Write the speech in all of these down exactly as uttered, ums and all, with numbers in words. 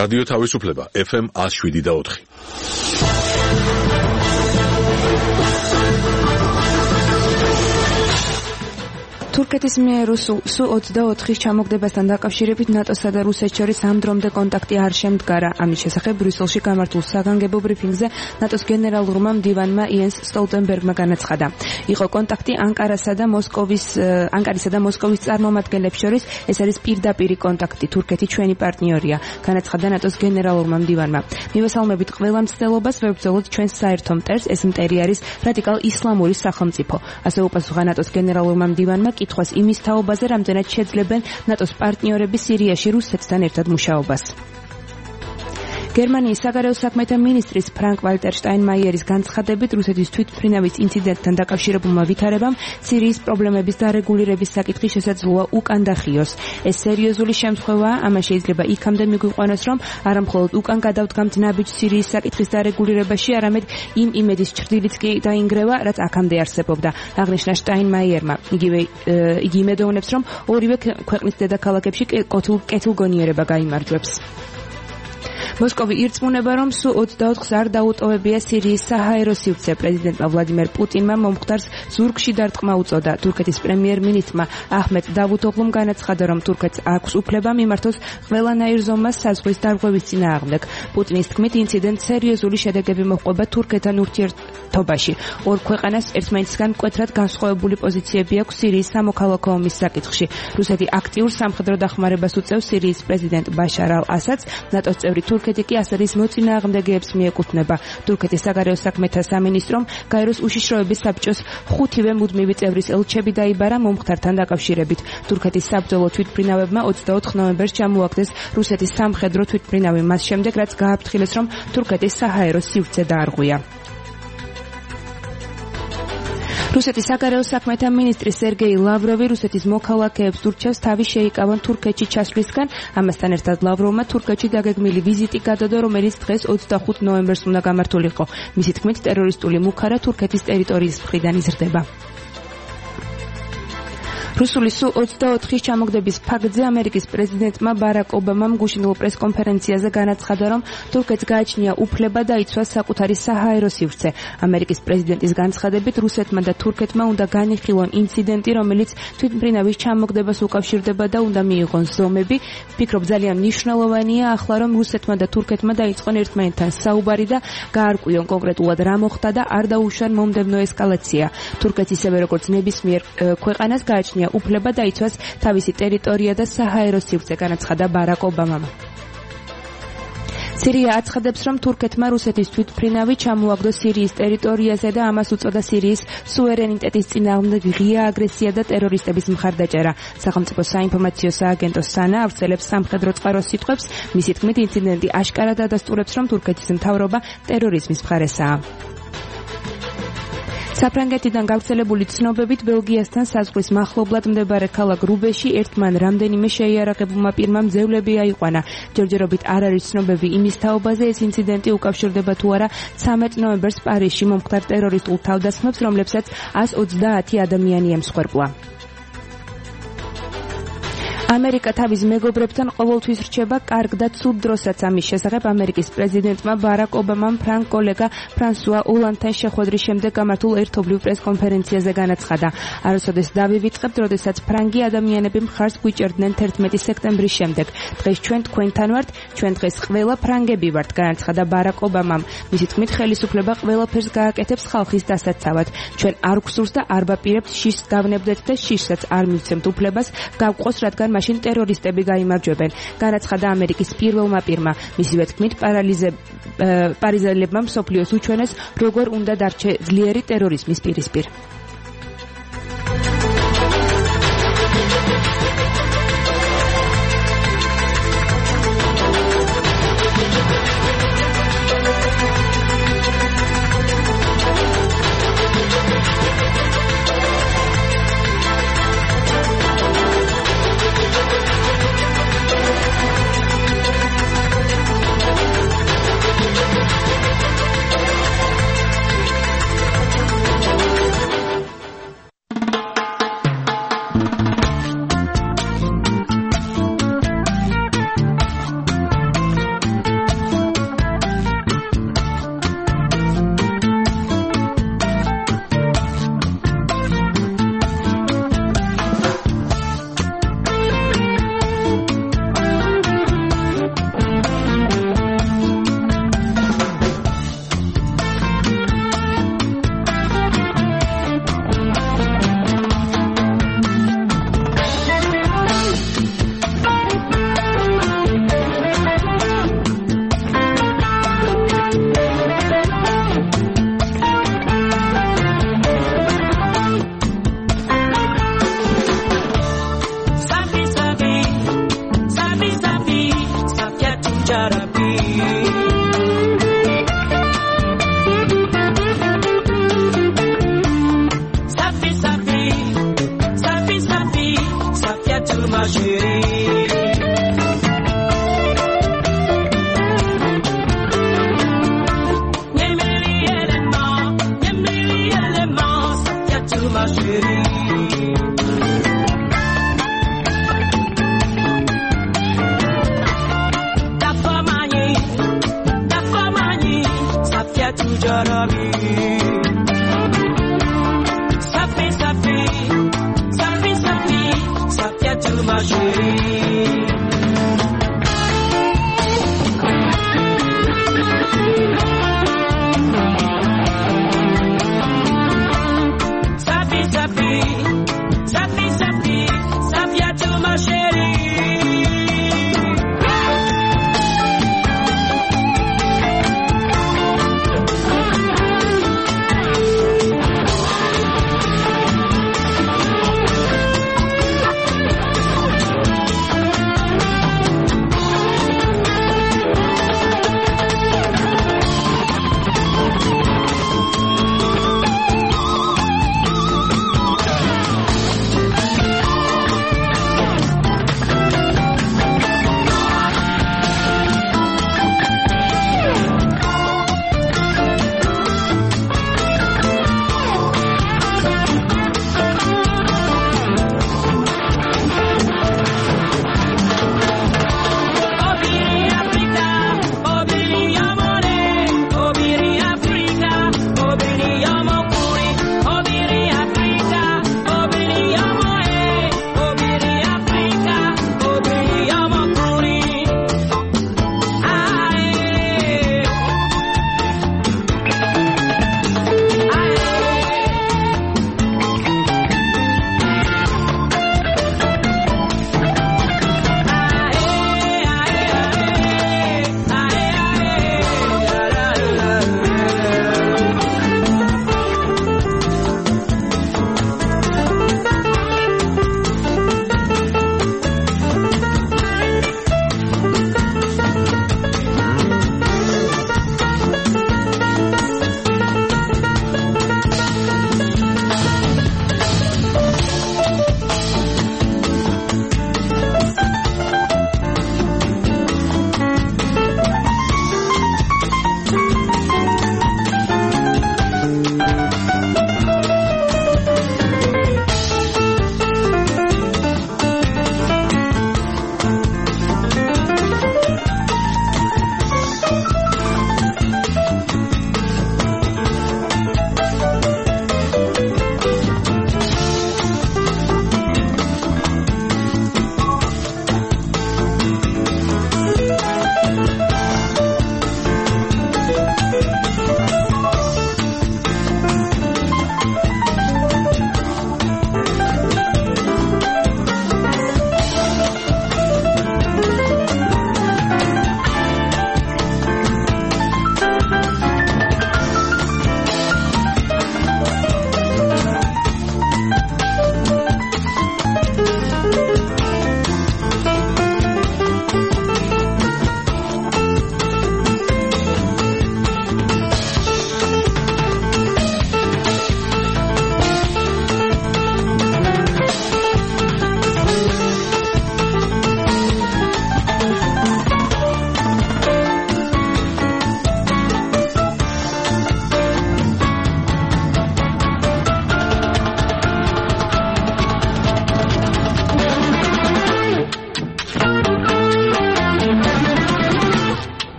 რადიო თავისუფლება ეფ ემ one oh seven და four. თურქეთის მიერ სუ ოცდაოთხის ჩამოგდებასთან დაკავშირებით ნატოსა და რუსეთს შორის ამ დრომდე კონტაქტი არ შემდგარა. ამის შესახებ ბრიუსელში გამართულ საგანგებო ბრიფინგზე ნატოს გენერალურმა მდივანმა იენს სტოლტენბერგმა განაცხადა. იყო კონტაქტი ანკარასა და მოსკოვის ანკარისა და მოსკოვის წარმომადგენლებს შორის. ეს არის პირდაპირი კონტაქტი. თურქეთი ჩვენი პარტნიორია, განაცხადა ნატოს გენერალურმა მდივანმა. მივესალმებით ყველა მცდელობას, ვებრძოლოთ ჩვენს საერთო მტერს, ეს მტერი არის რადიკალ ისლამური სახელმწიფო. ასე უპასუხა ნატოს გენერალურმა მდივანმა კითხვას იმის თაობაზე, რამდენად შეძლებენ ნატოს პარტნიორები სირიაში რუსეთთან ერთად მუშაობას. გერმანიის საგარეო საქმეთა მინისტრის ფრანკ ვალტერ შტაინმაიერის განცხადებით რუსეთის თვითმფრინავის ინციდენტთან დაკავშირებულმა ვითარებამ სირიის პრობლემების დარეგულირების საკითხი შესაძლოა უკან დახიოს. ეს სერიოზული შემთხვევაა, ამან შეიძლება იქამდე მიგვიყვანოს, რომ არა მხოლოდ უკან გადავდგამთ ნაბიჯს სირიის საკითხის დარეგულირებაში, არამედ იმ იმედის ჩრდილიც კი დაინგრევა, რაც აქამდე არსებობდა, აღნიშნა შტაინმაიერმა. იგივე იგი იმედოვნებს, რომ ორივე ქვეყნის დედაქალაქებში კეთილგონიერება გაიმარჯვებს. მოსკოვი ირწმუნება, რომ სუ ოცდაოთხს არ დაუტოვებია სირიის საჰაერო სივრცე. პრეზიდენტმა ვლადიმერ პუტინმა მომხდარს ზურგში დარტყმა უწოდა. თურქეთის პრემიერ-მინისტრმა აჰმედ დავუთოღლუმ განაცხადა, რომ თურქეთს აქვს უფლება მიმართოს ყველანაირ ზომას საზღვის დარღვევის წინააღმდეგ. პუტინის თქმით, ინციდენტს სერიოზული შედეგები მოჰყვება თურქეთთან ურთიერთობაში. ორ ქვეყანას ერთმანეთისგან მკვეთრად განსხვავებული პოზიციები აქვს სირიის სამოქალაქო ომის საკითხში. რუსეთი აქტიურ სამხედრო დახმარებას უწევს სირიის პრეზიდენტ ბაშარ ალ-ასადს. ნატოს წევრი თურქეთი კი ასადის მოწინააღმდეგეებს მიეკუთვნება. თურქეთის საგარეო საქმეთა სამინისტრომ გაეროს უშიშროების საბჭოს ხუთივე მუდმივი წევრის ელჩები დაიბარა მომხდართან დაკავშირებით. თურქეთის საბრძოლო თვითმფრინავებმა ოცდაოთხ ნოემბერს ჩამოაგდეს რუსეთის სამხედრო თვითმფრინავი, მას შემდეგ რაც გააფრთხილეს, რომ თურქეთის საჰაერო სივრცე დაარღვია. რუსეთის საგარეო საქმეთა მინისტრი სერგეი ლავროვი რუსეთის მოქალაქეებს ურჩევს თავი შეიკავონ თურქეთში ჩასვლისგან. ამასთან ერთად ლავროვმა თურქეთში დაგეგმილი ვიზიტი გადადო, რომელიც დღეს ოცდახუთ ნოემბერს უნდა გამართულიყო. მისი თქმით, ტერორისტული მუქარა თურქეთის ტერიტორიის მხრიდან იზრდება. რუსული სუ ოცდაოთხის ჩამოგდების ფაქტზე ამერიკის პრეზიდენტმა ბარაკ ობამამ გუშინულ პრესკონფერენციაზე განაცხადა, რომ თურქეთს გააჩნია უფლება დაიცვას საკუთარი საჰაერო სივრცე. ამერიკის პრეზიდენტის განცხადებით, რუსეთმა და თურქეთმა უნდა განიხილონ ინციდენტი, რომელიც თვითმფრინავის ჩამოგდებას უკავშირდება და უნდა მიიღონ ზომები. ვფიქრობ, ძალიან მნიშვნელოვანია ახლა, რომ რუსეთმა და თურქეთმა დაიწყონ ერთმანეთთან საუბარი და გაარკვიონ კონკრეტულად რა მოხდა და არ დაუშვან მომდევნო ესკალაცია. თურქეთს ისევე როგორც ნებისმიერ ქვეყანას გააჩნია უფლება დაიცვას თავისი ტერიტორია და საჰაერო სივრცე, განაცხადა ბარაკ ობამამ. სირია აცხადებს, რომ თურქეთმა რუსეთის თვითმფრინავი ჩამოაგდო სირიის ტერიტორიაზე და ამას უწოდა სირიის სუვერენიტეტის წინააღმდეგ ღია აგრესია და ტერორისტების მხარდაჭერა. სახელმწიფო საინფორმაციო სააგენტო სანა ავრცელებს სამხედრო წყაროს სიტყვებს. მისი თქმით, ინციდენტი აშკარად ადასტურებს, რომ თურქეთის მთავრობა ტერორიზმის მხარესაა. საფრანგეთიდან გავრცელებული ცნობებით, ბელგიასთან საზღვრის მახლობლად მდებარე ქალაქ რუბეში ერთმან რამდენიმე შეიარაღებულმა პირმა მძევლები აიყვანა. ჯერჯერობით არ არის ცნობები იმის თაობაზე, ეს ინციდენტი უკავშირდება თუ არა ცამეტ ნოემბერს პარიზში მომხდარ ტერორისტულ თავდასხმებს, რომლებსაც ას ოცდაათი ადამიანი ემსხვერპლა. ამერიკა თავის მეგობრებთან ყოველთვის რჩება კარგ და ცუდ დროსაც. ამის შესახებ ამერიკის პრეზიდენტმა ბარაკ ობამამ ფრანგ კოლეგა ფრანსუა ოლანდთან შეხვედრის შემდეგ გამართულ ერთობლივ პრესკონფერენციაზე განაცხადა. არასოდეს დავივიწყებთ, როდესაც ფრანგი ადამიანები მხარს გვიჭერდნენ თერთმეტი სექტემბრის შემდეგ. დღეს ჩვენ თქვენთან ვართ, ჩვენ დღეს ყველა ფრანგები ვართ, განაცხადა ბარაკ ობამამ. მისი თქმით, ხელისუფლება ყველაფერს გააკეთებს ხალხის დასაცავად. ჩვენ არ გვსურს და არ ვაპირებთ შიშს გავნებდეთ და შიშსაც არ მივცემთ უფლებას გავყოს, რადგან მაშინ ტერორისტები გაიმარჯვებენ, განაცხადა ამერიკის პირველმა პირმა. მისივე თქმით, პარიზელებმა მსოფლიოს უჩვენეს, როგორ უნდა დარჩე ძლიერი ტერორიზმის პირისპირ. ma chérie. Ma chérie, ta famille, ta famille, ça fait toujours la vie. Ça fait, ça fait, ça fait, ça fait, ça fait tout ma chérie.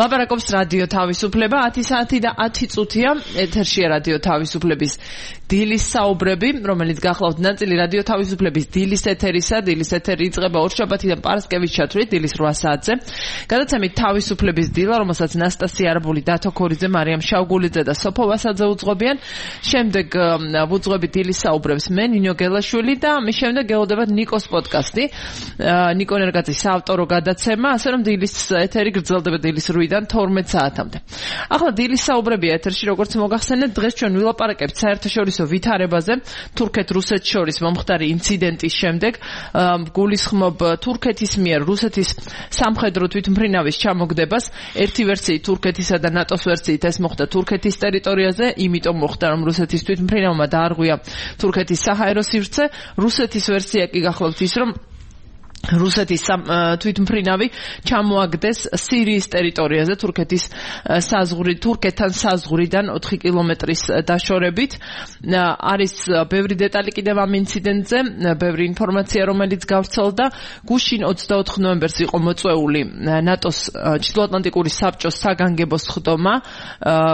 ლაპარაკობს რადიო თავისუფლება ათი საათი და ათი წუთია ეთერშია რადიო თავისუფლების დილის საუბრები, რომელიც გახლავთ ნაწილი რადიო თავისუფლების დილის ეთერისა. დილის ეთერი იწყება ორშაბათიდან პარასკევის ჩათვლით დილის რვა საათზე. გადაცემით თავისუფლების დილა, რომელსაც ნასტასია არაბული, დათო ქორიძე, მარიამ შავგულიძე და სოფო ვასაძე უძღვებიან. შემდეგ ვუძღვებით დილის საუბრებს მე ნინო გელაშვილი და მის შემდეგ გელოდებათ ნიკოს პოდკასტი. ნიკო ნერგაძის საავტორო გადაცემა, ასე რომ დილის ეთერი გრძელდება დილის რვიდან საათიდან თორმეტ საათამდე. ახლა დილის საუბრებია ეთერში, როგორც მოგახსენეთ, დღეს ჩვენ ვილაპარაკებთ საერთაშორისო ვითარებაზე თურქეთ-რუსეთს შორის მომხდარი ინციდენტის შემდეგ. გულისხმობ თურქეთის მიერ რუსეთის სამხედრო თვითმფრინავის ჩამოგდებას. ერთი ვერსიით თურქეთისა და ნატოს ვერსიით ეს მოხდა თურქეთის ტერიტორიაზე, იმიტომ მოხდა რომ რუსეთის თვითმფრინავმა დაარღვია თურქეთის საჰაერო სივრცე. რუსეთის ვერსია კი გახლავთ ის რომ რუსეთის თვითმფრინავი ჩამოაგდეს სირიის ტერიტორიაზე თურქეთის საზღვრით თურქეთთან საზღვრიდან ოთხი კილომეტრის დაშორებით. არის ბევრი დეტალი კიდევ ამ ინციდენტზე, ბევრი ინფორმაცია რომელიც გავრცელდა. გუშინ ოცდაოთხ ნოემბერს იყო მოწვეული ნატოს ჩრდილოატლანტიკური საბჭოს საგანგებო სხდომა,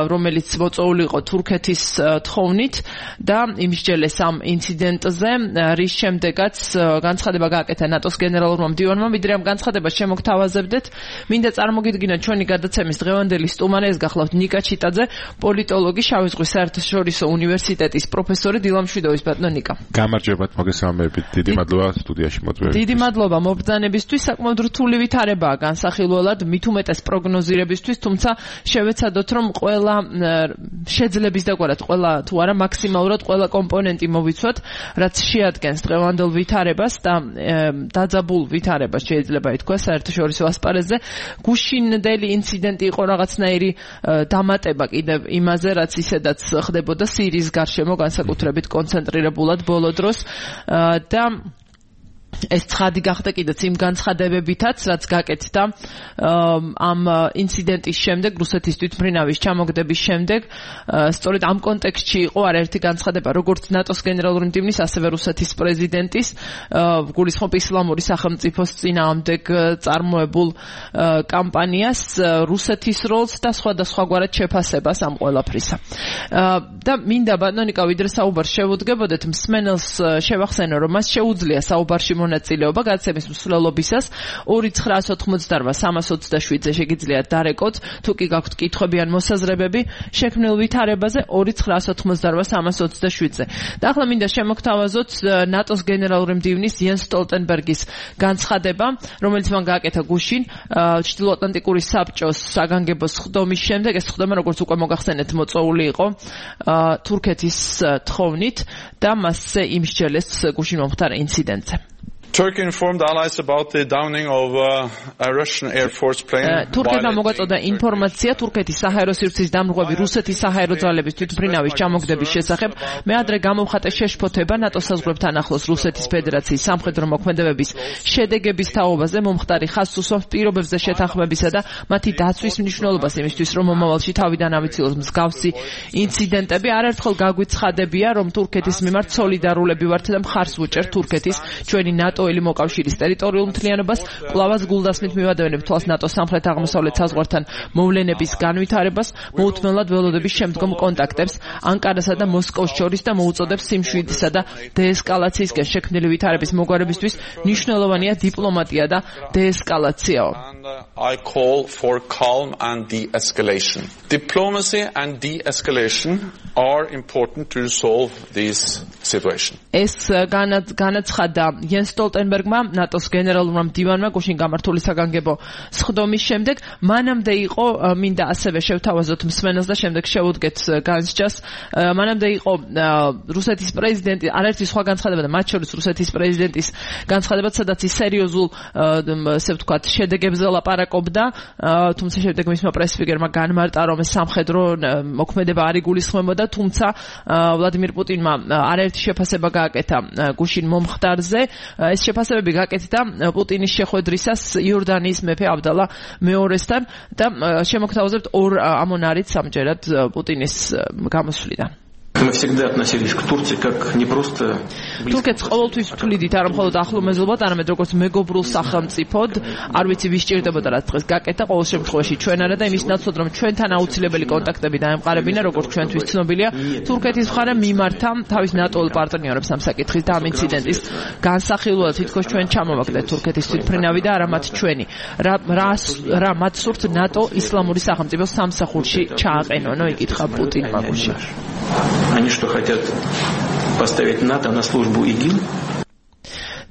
რომელიც მოწვეული იყო თურქეთის თხოვნით და იმსჯელეს ამ ინციდენტზე, რის შემდეგაც განცხადება გააკეთა ნატოს გენერალურმა მდივანმა, ვიდრე ამ განცხადებას შემოგთავაზებდეთ. მინდა წარმოგიდგინოთ ჩვენი გადაცემის დღევანდელი სტუმარი, ეს გახლავთ ნიკა ჩიტაძე, პოლიტოლოგი, შავი ზღვის საერთაშორისო უნივერსიტეტის პროფესორი. დილამშვიდობის ბატონო ნიკა. გამარჯვებათ, მოგესალმებით. დიდი მადლობა სტუდიაში მოწვევისთვის. დიდი მადლობა მობრძანებისთვის. საკმაოდ რთული ვითარებაა განსახილველად, მით უმეტეს პროგნოზირებისთვის, თუმცა შევეცადოთ რომ ყველა შეძლების დაგვარად, ყველა თუ არა მაქსიმალურად ყველა კომპონენტი მოვიცვათ, რაც შეადგენს დღევანდელ ვითარებას და დაძაბულ ვითარებას შეიძლება ითქვა საერთაშორისო ასპარეზზე. გუშინდელი ინციდენტი იყო რაღაცნაირი დამატება კიდევ იმაზე, რაც ისედაც ხდებოდა სირიის გარშემო, განსაკუთრებით კონცენტრირებულად ბოლო დროს და ეს ცხადი გახდა კიდეც იმ განცხადებებითაც, რაც გაკეთდა ამ ინციდენტის შემდეგ, რუსეთის თვითმფრინავის ჩამოგდების შემდეგ. სწორედ ამ კონტექსტში იყო არაერთი განცხადება, როგორც ნატოს გენერალური მდივნის, ასევე რუსეთის პრეზიდენტის, გულისხმობ ისლამური სახელმწიფოს წინააღმდეგ წარმოებულ კამპანიას, რუსეთის როლს და სხვადასხვაგვარად შეფასებას ამ ყველაფრისა. და მინდა ბატონო ნიკა, ვიდრე საუბარს შევუდგებოდეთ, მსმენელს შევახსენო, რომ მას შეუძლია საუბარში მონაწილეობა გადაცემის მსვლელობისას ორი ცხრაას ოთხმოცდაოთხ სამას ოცდაშვიდზე შეგიძლიათ დარეკოთ, თუ კი გაქვთ კითხვები ან მოსაზრებები შექმნილ ვითარებაზე ორი ცხრაას ოთხმოცდაოთხ სამას ოცდაშვიდზე. და ახლა მინდა შემოგთავაზოთ ნატოს გენერალური მდივნის იენს სტოლტენბერგის განცხადება, რომელიც მან გააკეთა გუშინ ჩრდილოატლანტიკური საბჭოს საგანგებო სხდომის შემდეგ. ეს სხდომა, როგორც უკვე მოგახსენეთ, მოწვეული იყო თურქეთის თხოვნით და მასზე იმსჯელეს გუშინ მომხდარ ინციდენტზე. Turkey informed allies about the downing of uh, a Russian Air Force plane. თურქეთმა მოგვაწოდა ინფორმაცია თურქეთის საჰაერო სივრცის დამრღვევი რუსეთის საჰაერო ძალების თვითმფრინავის ჩამოგდების შესახებ. მე ადრე გამოვხატე შეშფოთება ნატოს საზღვრებთან ახლოს რუსეთის ფედერაციის სამხედრო მოქმედებების შედეგების თაობაზე, მომხდარი ხაზს უსვამს პირობებზე შეთანხმებისა და მათი დაცვის მნიშვნელობას იმისთვის, რომ მომავალში თავიდან ავიცილოს მსგავსი ინციდენტები. არაერთხელ გაგვიცხადებია, რომ თურქეთის მიმართ სოლიდარულები ვართ და მხარს ვუჭერთ თურქეთის ჩვენი ნატო მოკავშირის ტერიტორიულ მთლიანობას, კვლავაც გულდასმით მივადევნებთ თვალს ნატოს სამხრეთ-აღმოსავლეთ საზღვართან მოვლენების განვითარებას, მოუთმენლად ველოდების შემდგომ კონტაქტებს ანკარასა და მოსკოვს შორის და მოუწოდებს სიმშვიდისა და დეესკალაციისკენ შექმნილი ვითარების მოგვარებისთვის მნიშვნელოვანია დიპლომატია და დეესკალაციაო. I call for calm and de-escalation. Diplomacy and de-escalation are important to resolve this situation. ეს განაცხადა იენს სტოლტენბერგმა, ნატოს გენერალურმა მდივანმა გუშინ გამართული საგანგებო სხდომის შემდეგ. მანამდე იყო, მინდა ასევე შევთავაზოთ მსმენელს და შემდეგ შევუდგეთ განსჯას, მანამდე იყო რუსეთის პრეზიდენტი, არაერთი სხვა განცხადება და მათ შორის რუსეთის პრეზიდენტის განცხადება, სადაც ის სერიოზულ, ესე ვთქვათ, შედეგებზე ლაპარაკობდა, თუმცა შემდეგ მისმა პრესსპიკერმა განმარტა, რომ ეს სამხედრო მოქმედება არ იგულისხმებოდა, თუმცა ვლადიმირ პუტინმა არაერთი შეფასება გააკეთა გუშინ მომხდარზე. ეს შეფასებები გაკეთდა პუტინის შეხვედრისას იორდანიის მეფე აბდალა მეორესთან და შემოგთავაზებთ ორ ამონარით სამჯერად პუტინის გამოსვლიდან. Мы всегда относились к Турции как не просто თურქეთს ყოველთვის ვთვლიდით არა მხოლოდ ახლო მეზობლად, არამედ როგორც მეგობრულ სახელმწიფოდ. არ ვიცი ვის ჭირდებოდა რა დღეს გაკეთა, ყოველ შემთხვევაში ჩვენ არა და იმის ნაცვლად რომ ჩვენთან აუცილებელი კონტაქტები დაემყარებინა, როგორც ჩვენთვის ცნობილია, თურქეთის მხარე მიმართა თავის ნატოელ პარტნიორებს ამ საკითხის და ამ ინციდენტის განსახილველად თითქოს ჩვენ ჩამოვაგდეთ თურქეთის თვითმფრინავი და არა მათ ჩვენი. რა რა მათ სურთ ნატო ისლამური სახელმწიფოს სამსახურში ჩააყენონო, იკითხა პუტინმა გუშინ. Они что хотят поставить НАТО на службу ИГИЛ?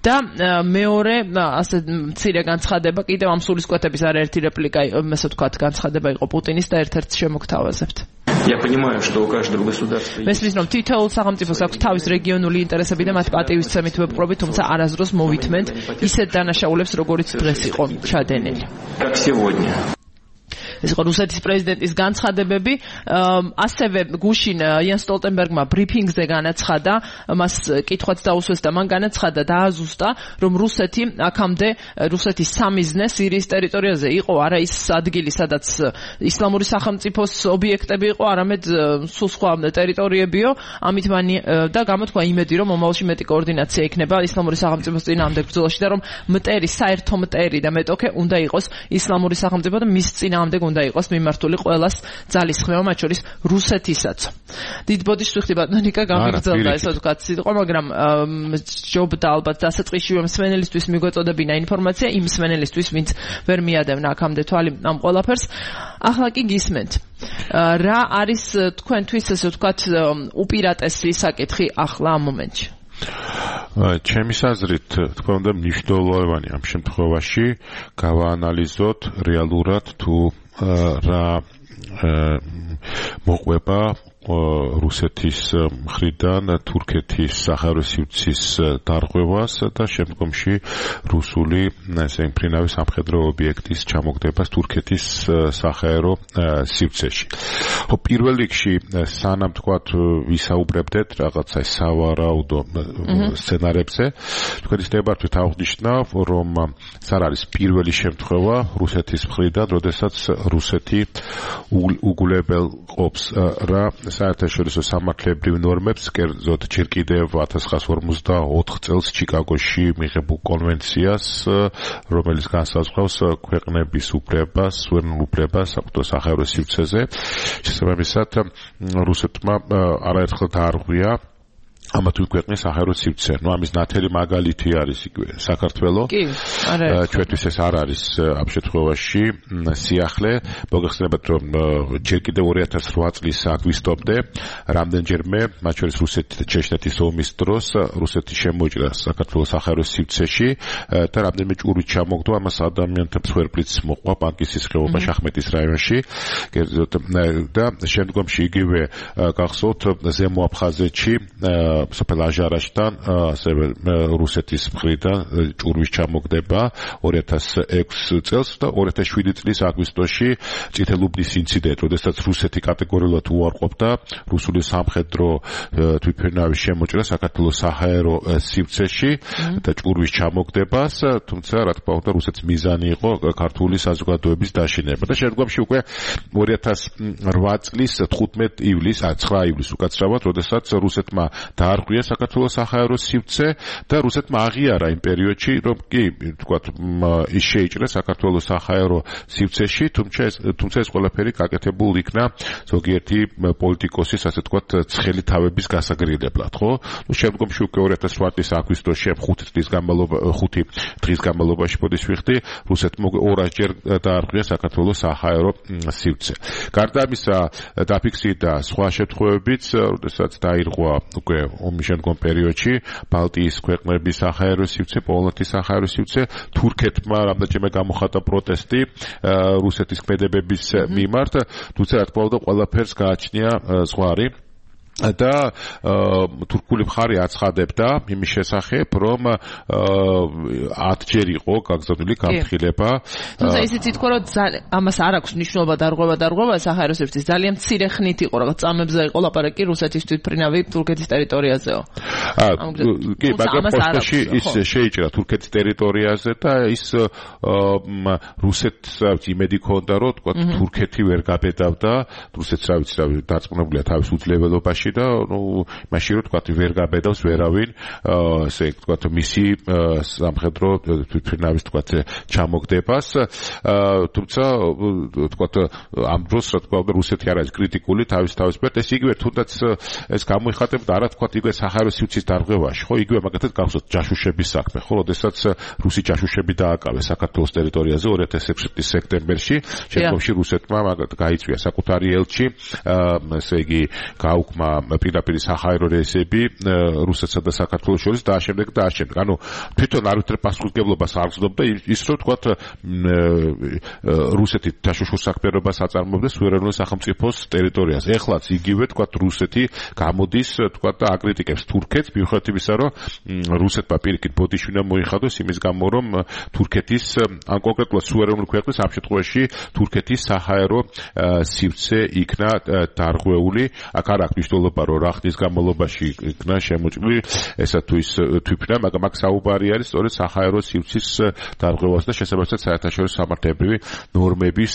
და მეორე ასე მცირე განცხადება კიდევ ამ სულისკვეთების არაერთი რეპლიკა, ასე ვთქვათ, განცხადება იყო პუტინის და ერთ-ერთ შემოგთავაზებთ. Я понимаю, что у каждого государства მესმის რომ თითოეულ სახელმწიფოს აქვს თავის რეგიონული ინტერესები და მათ პატივისცემით ვეპყრობით, თუმცა არასდროს მოვითმენთ ისეთ დანაშაულებს, როგორიც დღეს იყო ჩადენილი. как сегодня. ეს იყო რუსეთის პრეზიდენტის განცხადებები. ასევე გუშინ იან სტოლტენბერგმა ბრიფინგზე განაცხადა, მას კითხვაც დაუსვეს და მან განაცხადა დააზუსტა, რომ რუსეთი აქამდე რუსეთის სამიზნე სირიის ტერიტორიაზე იყო არა ის ადგილი, სადაც ისლამური სახელმწიფოს ობიექტები იყო, არამედ სულ სხვა ტერიტორიებიო. ამით მან და გამოთქვა იმედი, რომ მომავალში მეტი კოორდინაცია იქნება ისლამური სახელმწიფოს წინააღმდეგ ბრძოლაში და რომ მტერი, საერთო მტერი და მეტოქე უნდა იყოს ისლამური სახელმწიფო და მის წინააღმდეგ უნდა იყოს მიმართული ყველას ძალისხმევა, მათ შორის რუსეთისაც. დიდ ბოდიშს ვიხდი ბატონიკა გამიგრძელდა ესე ვთქვათ სიტყვა, მაგრამ ჯობდა ალბათ დასაწყისშივე მსმენელისთვის მიგვეწოდებინა ინფორმაცია, იმ მსმენელისთვის, ვინც ვერ მიადევნა აქამდე თვალი ამ ყველაფერს. ახლა კი გისმენთ. რა არის თქვენთვის ესე ვთქვათ უპირატესი საკითხი ახლა ამ მომენტში? ჩემი აზრით, თქვა უნდა მნიშვნელოვანი ამ შემთხვევაში გავაანალიზოთ რეალურად თუ რა მოყვება რუსეთის მხრიდან თურქეთის საჰაერო სივრცის დარღვევას და შემდგომში რუსული ესე მფრინავის სამხედრო ობიექტის ჩამოგდებას თურქეთის საჰაერო სივრცეში. ხო, პირველ რიგში სანამ თქვათ ვისაუბრებდეთ რაღაცა სავარაუდო სცენარებზე, თქვენ ისწრებათ აღნიშნავ, რომ ეს არ არის პირველი შემთხვევა რუსეთის მხრიდან, როდესაც რუსეთი უგულებელყოფს რა საერთაშორისო სამართლებრივ ნორმებს, კერძოდ ჯერ კიდევ ათას ცხრაას ორმოცდაოთხ წელს ჩიკაგოში მიღებულ კონვენციას, რომელიც განსაზღვრავს ქვეყნების უფლებას, სუვერენულ უფლებას საქართველოს საჰაერო სივრცეზე. შესაბამისად, რუსეთმა არაერთხელ დაარღვია ამა თუ ქვეყნის საჰაერო სივრცე. ნუ ამის ნათელი მაგალითი არის იგივე საქართველო. კი, არა. ჩვენთვის ეს არ არის ამ შემთხვევაში სიახლე. მოგეხსენებათ, რომ ჯერ კიდევ ორი ათას რვა წლის აგვისტომდე რამდენჯერმე, მათ შორის რუსეთი და ჩეჩნეთის ომის დროს, რუსეთი შემოიჭრა საქართველოს საჰაერო სივრცეში და რამდენიმე ჭურვით ჩამოგდო, ამას ადამიანთა მსხვერპლიც მოყვა პანკისის ხეობაში, ახმეტის რაიონში. და შემდგომში იგივე გახსოვთ ზემო აფხაზეთში სოფელ აჟარაშთან ასევე რუსეთის მხრიდან ჭურვის ჩამოგდება ორი ათას ექვსი წელს და ორი ათას შვიდი წლის აგვისტოში წითელუბნის ინციდენტი, როდესაც რუსეთი კატეგორიულად უარყოფდა რუსული სამხედრო თვითმფრინავის შემოჭრა საქართველოს საჰაერო სივრცეში და ჭურვის ჩამოგდებას, თუმცა რა თქმა უნდა რუსეთის მიზანი იყო ქართული საზოგადოების დაშინება და შემდგომში უკვე ორი ათას რვა წლის თხუთმეტი ივლისს, ცხრა ივლისს უკაცრავად, როდესაც რუსეთმა დაარღვია საქართველოს საჰაერო სივრცე და რუსეთმა აღიარა იმ პერიოდში, რომ კი, თქვათ, ის შეიჭრა საქართველოს საჰაერო სივრცეში, თუმცა ეს თუმცა ეს ყველაფერი გაკეთებულ იქნა ზოგიერთი პოლიტიკოსის, ასე თქვათ, ცხელი თავების გასაგრილებლად, ხო? ნუ შემდგომში უკვე ორი ათას რვა წლის აგვისტოში ხუთი წლის განმავლობაში ხუთი დღის განმავლობაში მოდის ვიხდი, რუსეთმა ორასჯერ დაარღვია საქართველოს საჰაერო სივრცე. გარდა ამისა, დაფიქსირდა სხვა შემთხვევებიც, როდესაც დაირღვა უკვე ომის შემდგომ პერიოდში ბალტიის ქვეყნების საჰაერო სივრცე, პოლონეთის საჰაერო სივრცე, თურქეთმა რამდენჯერმე გამოხატა პროტესტი რუსეთის ქმედებების მიმართ, თუმცა რა თქმა უნდა ყველაფერს გააჩნია ზღვარი. და თურქული მხარე აცხადებდა იმის შესახებ, რომ ათჯერ იყო გაგზავნილი განხილება. თუმცა ისიც ითქვა, რომ ამას არ აქვს მნიშვნელობა დარღვევა დარღვევა საჰაერო სივრცის ძალიან მცირე ხნით იყო, რაღაც წამებზე იყო ლაპარაკი რუსეთის თვითმფრინავი თურქეთის ტერიტორიაზეო. კი, მაგრამ პოსტში ის შეიჭრა თურქეთის ტერიტორიაზე და ის რუსეთს იმედი ჰქონდა, რომ თქვა თურქეთი ვერ გაბედავდა, რუსეთს რა ვიცი, დარწმუნებულია თავის უძლეველობაში და ნუ მაშინ რო თქვა ვერ გაბედავს ვერავინ ესე თქვა მისი სამხედრო თვითმფრინავის თქვა ჩამოგდებას, თუმცა თქვა ამ დროს რა თქვა რუსეთი არ არის კრიტიკული თავის თავის პერტ, ეს იგივე თუნდაც ეს გამოიხატებდა არა თქვა იგივე საჰაერო სივრცის დარღვევაში, ხო, იგივე მაგათაც გახსოვთ ჯაშუშების საქმე, ხო, როდესაც რუსი ჯაშუშები დააკავეს საქართველოს ტერიტორიაზე ორი ათას ექვსი წლის სექტემბერში, შემდგომში რუსეთმა მაგათ გაიწვია საკუთარი ელჩი, ესე იგი გაუქმა პირდაპირ საჰაერო რეისები რუსეთსა და საქართველოს შორის და ამავდროულად და ამავდროულად. ანუ თვითონ არავითარ პასუხისმგებლობას არ გრძნობდა ის რომ თქვა რუსეთი თაშუშულ საქმიანობას აწარმოებდა სუვერენული სახელმწიფოს ტერიტორიაზე. ეხლაც იგივე თქვა რუსეთი გამოდის თქვა და აკრიტიკებს თურქეთს მიუხედავად იმისა რომ რუსეთმა პირიქით ბოდიშვინა მოიხადოს იმის გამო რომ თურქეთის ან კონკრეტულად სუვერენული ქვეყნის ამ შემთხვევაში თურქეთის საჰაერო სივრცე იქნა დარღვეული. აქ არ აქვს მნიშვნელობა რომ რა ხნის განმავლობაში იქნა შემოჭრილი ესა თუ ის თვითონ მაგრამ აქ საუბარი არის სწორედ საჰაერო სივრცის დარღვევას და შესაბამისად საერთაშორისო სამართლებრივი ნორმების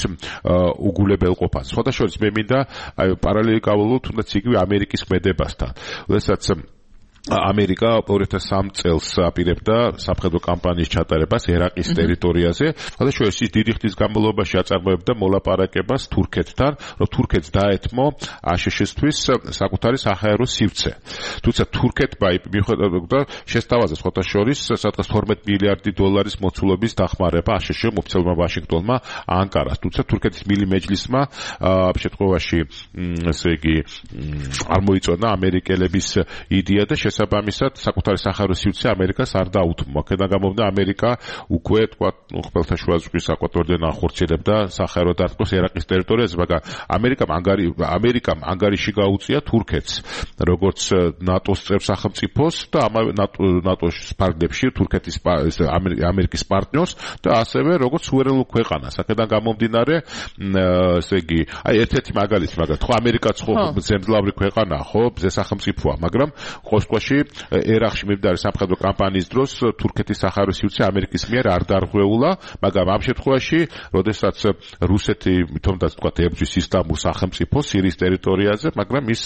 უგულებელყოფას. სხვადასხვა მე მინდა აი პარალელი გავავლო თუნდაც იგივე ამერიკის ქმედებასთან. როდესაც ამერიკა ორი ათას სამი წელს აპირებდა სამხედრო კამპანიის ჩატარებას ერაყის ტერიტორიაზე, სხვადასხვა ის დიდი ხნის განმავლობაში აწარმოებდა მოლაპარაკებას თურქეთთან, რომ თურქეთს დაეთმო აშშ-ისთვის საკუთარი საჰაერო სივრცე. თუმცა თურქეთმა მიუხედავად შესთავაზა სხვათა შორის სადღაც თორმეტ მილიარდი დოლარის მოცულობის დახმარება აშშ-მ ოფიციალურმა ვაშინგტონმა ანკარას. თუმცა თურქეთის მილი მეჯლისმა ამ შემთხვევაში ესე იგი არ მოიწონა ამერიკელების იდეა და შესაბამისად საკუთარი საჰაერო სივრცე ამერიკას არ დაუთმო. აქედან გამომდინარე ამერიკა უკვე თქვა ხმელთაშუა ზღვის საკვატორიდან ახორციელებდა საჰაერო დარტყმას ერაყის ტერიტორიაზე, მაგრამ ამერიკამ ანგარი ამერიკამ ანგარიში გაუწია თურქეთს როგორც ნატოს წევრ სახელმწიფოს და ამავე ნატოს ფარგლებში თურქეთის ამერიკის პარტნიორს და ასევე როგორც სუვერენულ ქვეყანას. აქედან გამომდინარე ესე იგი აი ერთ-ერთი მაგალითი, მაგრამ ხო ამერიკაც ხო ზემძლავრი ქვეყანაა, ხო ზე სახელმწიფოა, მაგრამ ყოსტ ერაყში მიმდინარე სამხედრო კამპანიის დროს თურქეთის საჰაერო სივრცე ამერიკის მიერ არ დარღვეულა, მაგრამ ამ შემთხვევაში, როდესაც რუსეთი თუნდაც თქვა ებრძვის ისლამურ სახელმწიფოს სირიის ტერიტორიაზე, მაგრამ ის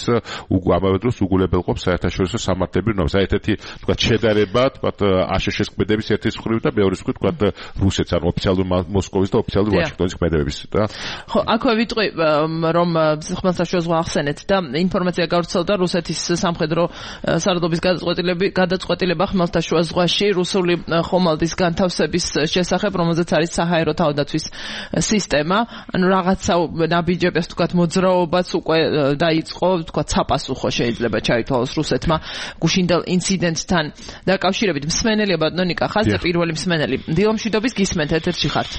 ამავე დროს უგულებელყოფს საერთაშორისო სამართლებრივ ნორმებს. აი ერთ-ერთი თქვა შედარება, თქვა აშშ-ის ქმედების ერთის მხრივ და მეორე მხრივ თქვა რუსეთს, ანუ ოფიციალური მოსკოვის და ოფიციალური ვაშინგტონის ქმედების და ხო, აქვე ვიტყვი რომ ხმელთაშუა ზღვა ახსენეთ და ინფორმაცია გავრცელდა რუსეთის სამხედრო სარდლობის გადაწყვეტილება ხმელთაშუა ზღვაში რუსული ხომალდის განთავსების შესახებ, რომელზეც არის საჰაერო თავდაცვის სისტემა. ანუ რაღაცა ნაბიჯებს თქვათ მოძრაობაც უკვე დაიწყო, თქვათ საპასუხო შეიძლება ჩაითვალოს რუსეთმა გუშინდელ ინციდენტთან დაკავშირებით. მსმენელია ბატონიკა ხაზზე პირველი მსმენელი. დილომშვიდობის გისმენთ, ეთერში ხართ.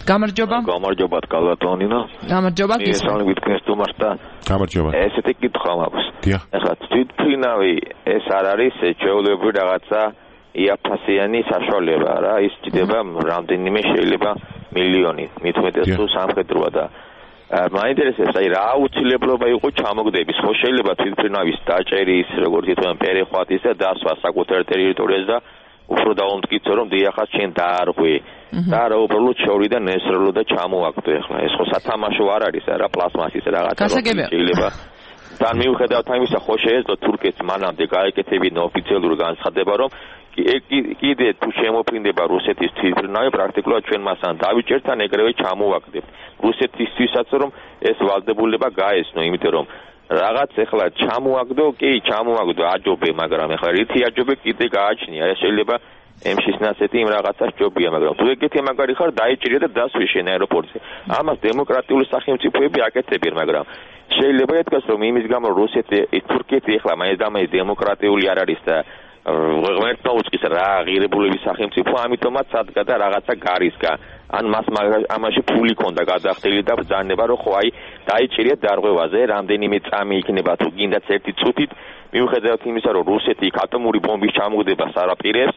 გამარჯობა. გამარჯობა კალატონინა. გამარჯობა გისმენთ. ესალი ვიტკნეს თუმარსა. გამარჯობა. ესეთი კითხვა მაქვს. დიახ. ეხლა თვითმფრინავი ეს არ არის ჩვეულებრივი რაღაცა იაფასიანი საშუალება რა, ის ჭირდება რამდენიმე შეიძლება მილიონი, მithumetes თუ სამხედროა და მაინტერესებს აი რა აუცილებლობა იყო ჩამოგდების, ხო შეიძლება თვითმფრინავის დაჭერის, როგორც ითქვამენ, პერეხვატის და დასვა საკუთარ ტერიტორიაზე და უფრო დაუმტკიცო რომ დიახაც შენ დაარღვე და რა უბრალოდ შორიდან ესროლო და ჩამოაგდო. ეხლა ეს ხო სათამაშო არ არის რა, პლასმასის რაღაცა შეიძლება და მიუხედავად ამისა ხო შეეძლო თურქეთს მანამდე გაეკეთებინა ოფიციალური განცხადება რომ კიდე თუ შემოფრინდება რუსეთის თვითმფრინავი პრაქტიკულად ჩვენ მასთან დავიჭერთან ეგრევე ჩამოვაგდებთ. რუსეთისთვისაც რომ ეს ვალდებულება გაესნო, იმიტომ რომ რაღაც ეხლა ჩამოაგდო, კი ჩამოაგდო აჯობე, მაგრამ ეხლა რითი აჯობე კიდე გააჩნია. ეს შეიძლება ემშის ნასეთი იმ რაღაცას ჯობია, მაგრამ თუ ეგეთი მაგარი ხარ დაიჭირე და დასვი შენ აეროპორტზე. ამას დემოკრატიული სახელმწიფოები აკეთებენ, მაგრამ შეიძლება ითქვას რომ იმის გამო რუსეთი თურქეთი ეხლა მაინც და მაინც დემოკრატიული არ არის და ღმერთმა უწყის რა ღირებულების სახელმწიფო, ამიტომაც ადგა და რაღაცა გარისგა. ან მას ამაში ფული ქონდა გადახდილი და ბრძანება რომ ხო აი დაიჭირეთ დარღვევაზე რამდენიმე წამი იქნება თუ გინდაც ერთი წუთით, მიუხედავად იმისა რომ რუსეთი ატომური ბომბის ჩამოგდებას არ აპირებს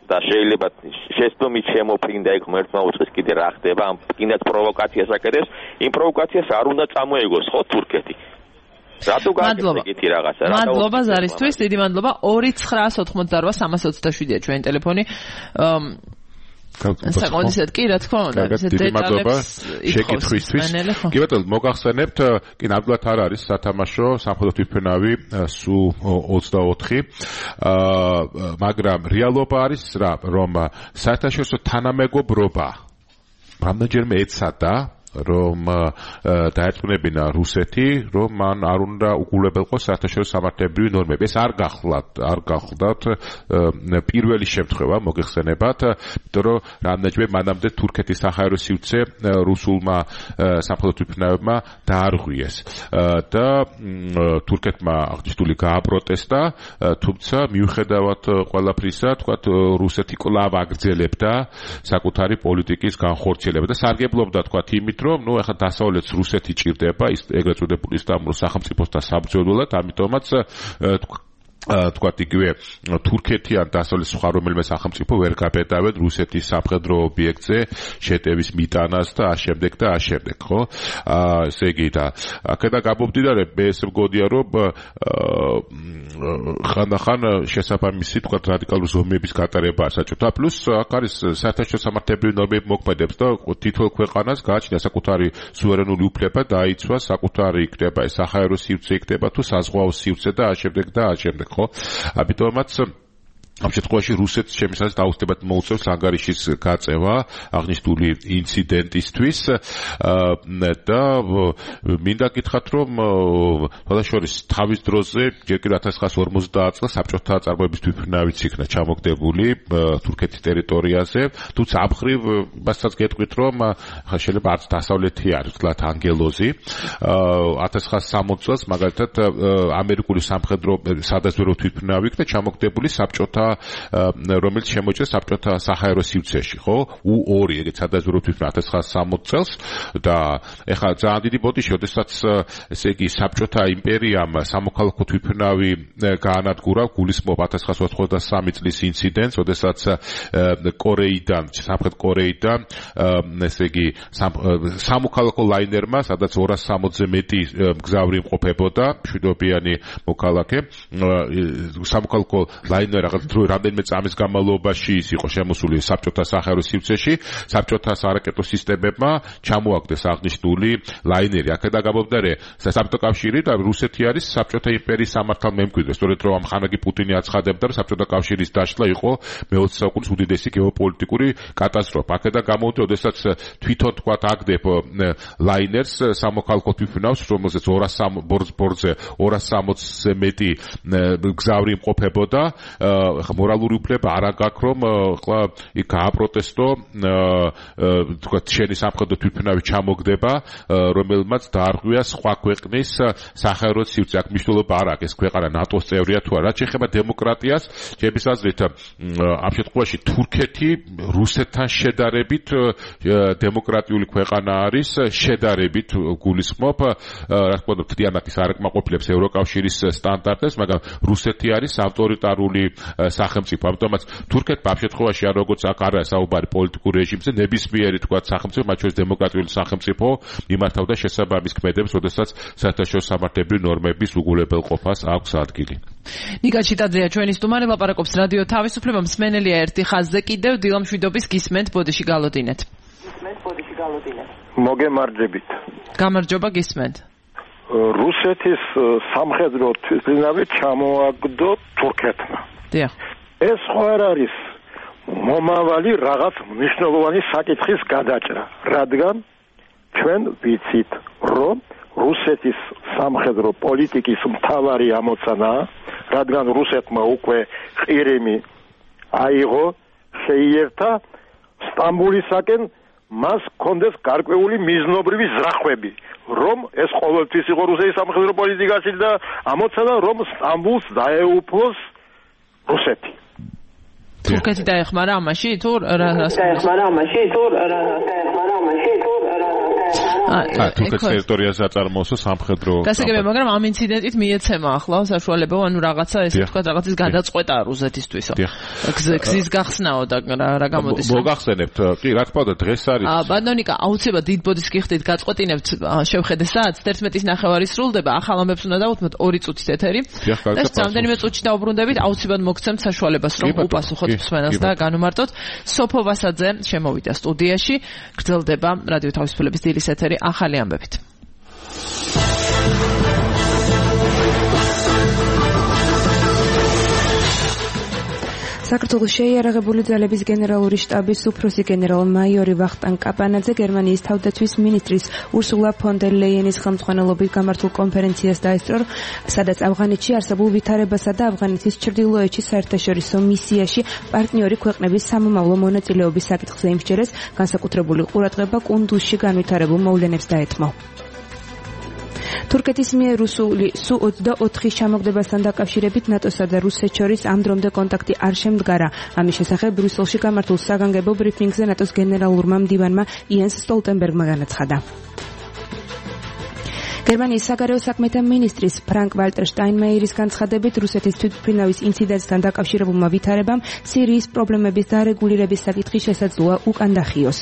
და შეიძლება შესწომით შემოფრინდა იქ ღმერთმა უწყის კიდე რა ხდება, ამ გინდაც პროვოკაციას აკეთებს, იმ პროვოკაციას არ უნდა წამოეგოს ხო თურქეთი. რატო გააკეთე ეგეთი რაღაცა? მადლობა ზარისთვის, დიდი მადლობა. ორი ცხრა ოცდაოთხმოცდაოთხ სამას ოცდაშვიდია ჩვენი ტელეფონი. საკმაოდ კი რა თქმა უნდა დეტალებს შეკითხვისთვის. კი ბატონო, მოგახსენებთ, კი ნამდვილად არ არის სათამაშო სამხედრო თვითმფრინავი სუ ოცდაოთხი, მაგრამ რეალობა არის რა, რომ საერთაშორისო თანამეგობრობა რამდენჯერმე ეცადა რომ დაერწმუნებინა რუსეთი, რომ მან არ უნდა უგულებელყოს საერთაშორისო სამართლებრივი ნორმები. ეს არ გახლავთ, არ გახლავთ პირველი შემთხვევა მოგეხსენებათ, იმიტომ რომ რამდენჯერმე მანამდე თურქეთის საჰაერო სივრცე რუსულმა სამხედრო თვითმფრინავებმა დაარღვიეს და თურქეთმა აღნიშნული გააპროტესტა, თუმცა მიუხედავად ყველაფრისა, თქვათ რუსეთი კვლავ აგრძელებდა საკუთარი პოლიტიკის განხორციელება და სარგებლობდა თქვათ იმით, რომ ნუ ახლა დასავლეთს რუსეთი ჭირდება ის ეგრეთ წოდებული ისტანბულის სახელმწიფოსთან საბრძოლველად, ამიტომაც თქვათ იგივე თურქეთი ან დასავლეთის სხვა რომელიმე სახელმწიფო ვერ გაბედავენ რუსეთის სამხედრო ობიექტზე შეტევის მიტანას და ამავდროულად და ამავდროულად, ხო? ესე იგი და აქედან გამომდინარე, მე ესე მგონია, რომ ხანდახან შესაბამისი თქვათ რადიკალური ზომების გატარება საჭიროა. პლუს აქ არის საერთაშორისო სამართლებრივი ნორმები მოქმედებს და თითოეულ ქვეყანას გააჩნია საკუთარი სუვერენული უფლება დაიცვა საკუთარი იქნება ეს საჰაერო სივრცე იქნება თუ საზღვაო სივრცე და ამავდროულად და ამავდროულად. ამიტომაც ამ შემთხვევაში რუსეთს შემისას დაუცდებად მოუწევს ანგარიშის გაწევა აღნიშნული ინციდენტისთვის და მინდა გითხრათ, რომ შესაძლოა თავის დროზე ჯერ კიდევ ათას ცხრაასი ორმოცდაათ წელს საბჭოთა წარმოების თვითმფრინავიც იქნა ჩამოგდებული თურქეთის ტერიტორიაზე, თუმცა ამ მხრივ მასაც გეტყვით, რომ შეიძლება არც დასავლეთი არის ვთქვათ ანგელოზი. ათას ცხრაასი სამოცდაათ წელს მაგალითად ამერიკული სამხედრო სადაზვერვო თვითმფრინავი იქნა ჩამოგდებული საბჭოთა რომელიც შემოჭრეს საბჭოთა საჰაერო სივრცეში, ხო? უ ორი ეგეთ სადაზვერვო თვითმფრინავი ათას ცხრაასი სამოცდაათ წელს და ეხლა ძალიან დიდი ბოდიში, როდესაც ესე იგი საბჭოთა იმპერიამ სამოქალაქო თვითმფრინავი გაანადგურა, გულისხმობ ათას ცხრაასი ოთხმოცდასამი წლის ინციდენტს, როდესაც კორეიდან, სამხრეთ კორეიდან ესე იგი სამოქალაქო ლაინერმა, სადაც ორასი სამოცზე მეტი მგზავრი იმყოფებოდა, მშვიდობიანი მოქალაქე, სამოქალაქო ლაინერი რაღაც რამდენიმე წამის განმავლობაში ის იყო შემოსული საბჭოთა საჰაერო სივრცეში, საბჭოთა სარაკეტო სისტემებმა ჩამოაგდეს აღნიშნული ლაინერი. აქედან გამომდინარე, საბჭოთა კავშირი და რუსეთი არის საბჭოთა იმპერიის სამართალმემკვიდრე, სწორედ რომ ხანაგი პუტინი აცხადებდა, რომ საბჭოთა კავშირის დაშლა იყო მეოცე საუკუნის უდიდესი გეოპოლიტიკური კატასტროფა. აქედან გამომდინარე, როდესაც თვითონ თქვათ აგდებ ლაინერს სამოქალაქო თვითმფრინავს, რომელზეც ორასი ორასი სამოცზე მეტი მგზავრი იმყოფებოდა, ხა მორალური უფლება არ აქვს, რომ ხლა იქ გააპროტესტო, თქვა შენი სამხედრო თვითმფრინავი ჩამოგდება, რომელმაც დაარღვია სხვა ქვეყნის საჰაერო სივრცე. აქ მნიშვნელობა არ აქვს ეს ქვეყანა ნატოს წევრია თუ არა. რაც შეეხება დემოკრატიას, ჩემი აზრით ამ შემთხვევაში თურქეთი რუსეთთან შედარებით დემოკრატიული ქვეყანა არის, შედარებით გულისხმობ, რა თქმა უნდა, თიანეთის არ აკმაყოფილებს ევროკავშირის სტანდარტებს, მაგრამ რუსეთი არის ავტორიტარული სახელმწიფო. ამიტომაც თურქეთმა ამ შემთხვევაში არ როგორც აქ არა საუბარი პოლიტიკურ რეჟიმზე, ნებისმიერი თქვა სახელმწიფო, მათ შორის დემოკრატიული სახელმწიფო იმართავდა შესაბამის ქმედებს, როდესაც საერთაშორისო სამართლებრივი ნორმების უგულებელყოფას აქვს ადგილი. ნიკა ჩიტაძეა ჩვენი სტუმარი, ლაპარაკობს რადიო თავისუფლება. მსმენელია ერთი ხაზზე კიდევ, დილა მშვიდობის გისმენთ, ბოდიში გალოდინეთ. გისმენთ, ბოდიში გალოდინეთ. მოგემარჯებით. გამარჯობა, გისმენთ. რუსეთის სამხედრო თვითმფრინავი ჩამოაგდო თურქეთმა. დიახ. ეს ხო არ არის მომავალი რაღაც მნიშვნელოვანი საკითხის გადაჭრა, რადგან ჩვენ ვიცით, რომ რუსეთის სამხედრო პოლიტიკის მთავარი ამოცანაა, რადგან რუსეთმა უკვე ყირიმი აიღო, შეიერთა სტამბულისაკენ მას კონდეს გარკვეული მიზნობრივი ზრახვები, რომ ეს ყოველთვის იყო რუსეთის სამხედრო პოლიტიკაში და ამოცანა, რომ სტამბულს დაეუფლოს რუსეთი. თურქეთი დაეხმარა ამაში თუ რა დაეხმარა ამაში თუ რა დაეხმარა ამაში თუ ა თურქეთის ტერიტორიაზე აწარმოოსო სამხედრო გასაგებია, მაგრამ ამ ინციდენტით მიეცემა ახლა საშუალება, ანუ რაღაცა ესე ვთქვათ, რაღაცის გადაწყვეტა რუსეთისთვისო. გზის გახსნაო და რა გამოდის. მოგახსენებთ, კი, რა თქმა უნდა, დღეს არის. ა ბანონიკა, აუცილებლად დიდ ბოდის გიხდით, გაწყვეტინებთ შევხედე საათს თერთმეტის ნახევარი სრულდება, ახალ ამბებს უნდა დავუთმოთ ორი წუთის ეთერი. და რამდენიმე წუთში დაუბრუნდებით, აუცილებლად მოგცემთ საშუალებას, რომ უპასუხოთ მსმენელს და განუმარტოთ. სოფო ვასაძე შემოვიდა სტუდიაში, გრძელდება რადიო თავისუფლების დილის ეთერი ახალი ამბებით. საქართველოს შეიარაღებული ძალების გენერალური შტაბის უფროსი გენერალ-მაიორი ვახტანგ კაპანაძე გერმანიის თავდაცვის მინისტრის ურსულა ფონ დერ ლეიენის ხელმძღვანელობით გამართულ კონფერენციას დაესწრო, სადაც ავღანეთში არსებულ ვითარებასა და ავღანეთის ჩრდილოეთში საერთაშორისო მისიაში პარტნიორი ქვეყნების სამომავლო მონაწილეობის საკითხზე იმსჯერეს, განსაკუთრებული ყურადღება კუნდუზში განვითარებულ მოვლენებს დაეთმო. თურქეთის მიერ რუსული სუ ოცდაოთხის ჩამოგდებასთან დაკავშირებით ნატოსა და რუსეთს შორის ამ დრომდე კონტაქტი არ შემდგარა. ამის შესახებ ბრიუსელში გამართულ საგანგებო ბრიფინგზე ნატოს გენერალურმა მდივანმა იენს სტოლტენბერგმა განაცხადა. გერმანიის საგარეო საქმეთა მინისტრის ფრანკ ვალტერ შტაინმაიერის განცხადებით რუსეთის თვითმფრინავის ინციდენტთან დაკავშირებულმა ვითარებამ სირიის პრობლემების დარეგულირების საკითხი შესაძლოა უკან დახიოს.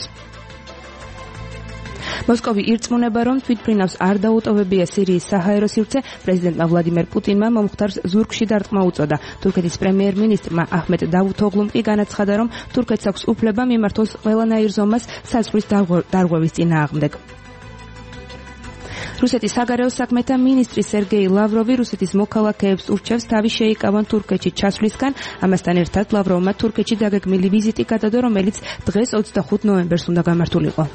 მოსკოვი ირწმუნება, რომ თვითმფრინავს არ დაუტოვებია სირიის საჰაერო სივრცე, პრეზიდენტმა ვლადიმერ პუტინმა მომხდარს ზურგში დარტყმა უწოდა. თურქეთის პრემიერ-მინისტრმა აჰმედ დავუთოღლუმ კი განაცხადა, რომ თურქეთს აქვს უფლება მიმართოს ყველანაირ ზომას საზღვრის დარღვევის წინააღმდეგ. რუსეთის საგარეო საქმეთა მინისტრი სერგეი ლავროვი რუსეთის მოქალაქეებს ურჩევს თავი შეიკავონ თურქეთში ჩასვლისგან. ამასთან ერთად ლავროვმა თურქეთში დაგეგმილი ვიზიტი გადადო, რომელიც დღეს ოცდახუთ ნოემბერს უნდა გამართულიყო.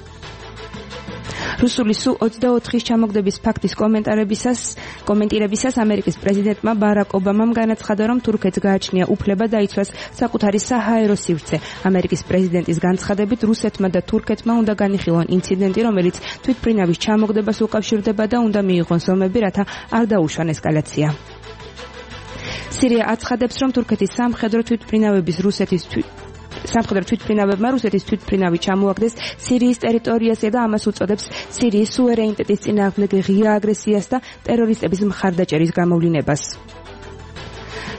რუსული სუ ოცდაოთხის ჩამოგდების ფაქტის კომენტარებისას კომენტირებისას ამერიკის პრეზიდენტმა ბარაკ ობამამ განაცხადა, რომ თურქეთს გააჩნია უფლება დაიცვას საკუთარი საჰაერო სივრცე. ამერიკის პრეზიდენტის განცხადებით რუსეთმა და თურქეთმა უნდა განიხილონ ინციდენტი, რომელიც თვითმფრინავის ჩამოგდებას უკავშირდება და უნდა მიიღონ ზომები, რათა არ დაუშვან ესკალაცია. სირია აცხადებს, რომ თურქეთის სამხედრო თვითმფრინავების რუსეთის სამხედრო თვითმფრინავებმა რუსეთის თვითმფრინავი ჩამოაგდეს სირიის ტერიტორიაზე და ამას უწოდებს სირიის სუვერენიტეტის წინააღმდეგ ღია აგრესიას და ტერორისტების მხარდაჭერის გამოვლინებას.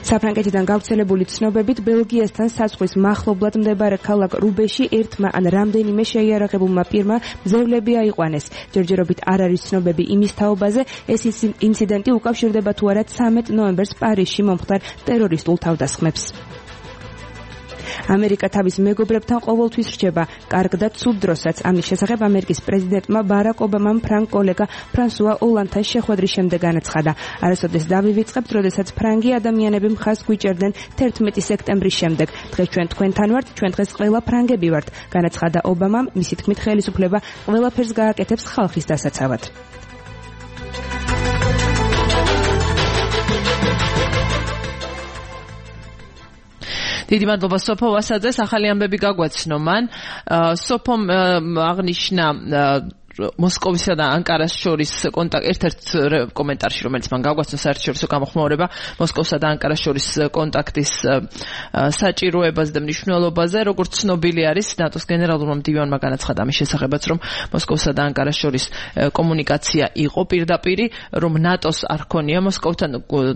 საფრანგეთიდან გავრცელებული ცნობებით ბელგიასთან საზღვრის მახლობლად მდებარე ქალაქ რუბეში ერთმა ან რამდენიმე შეიარაღებულმა პირმა მძევლები აიყვანეს. ჯერჯერობით არ არის ცნობები იმის თაობაზე, ეს ინციდენტი უკავშირდება თუ არა ცამეტ ნოემბერს პარიზში მომხდარ ტერორისტულ თავდასხმებს. ამერიკა თავის მეგობრებთან ყოველთვის რჩება კარგ და ცუდ დროსაც. ამის შესახებ ამერიკის პრეზიდენტმა ბარაკ ობამამ ფრანგ კოლეგა ფრანსუა ოლანდთან შეხვედრის შემდეგ განაცხადა. არასოდეს დავივიწყებთ, როდესაც ფრანგი ადამიანები მხარს გვიჭერდნენ თერთმეტი სექტემბრის შემდეგ. დღეს ჩვენ თქვენთან ვართ, ჩვენ დღეს ყველა ფრანგები ვართ, განაცხადა ობამამ. მისი თქმით, ხელისუფლება ყველაფერს გააკეთებს ხალხის დასაცავად. დიდი მადლობა სოფო ვასაძეს, ახალი ამბები გაგვაცნო მან. სოფომ აღნიშნა მოსკოვისა და ანკარას შორის კონტაქტ ერთ-ერთ კომენტარში, რომელიც მან გაგვაცნო საერთაშორისო გამოხმაურება მოსკოვსა და ანკარას შორის კონტაქტის საჭიროებაზე და მნიშვნელობაზე. როგორც ცნობილი არის, ნატოს გენერალურმა მდივანმა განაცხადა ამის შესახებაც, რომ მოსკოვსა და ანკარას შორის კომუნიკაცია იყო პირდაპირი, რომ ნატოს არ ჰქონია მოსკოვთან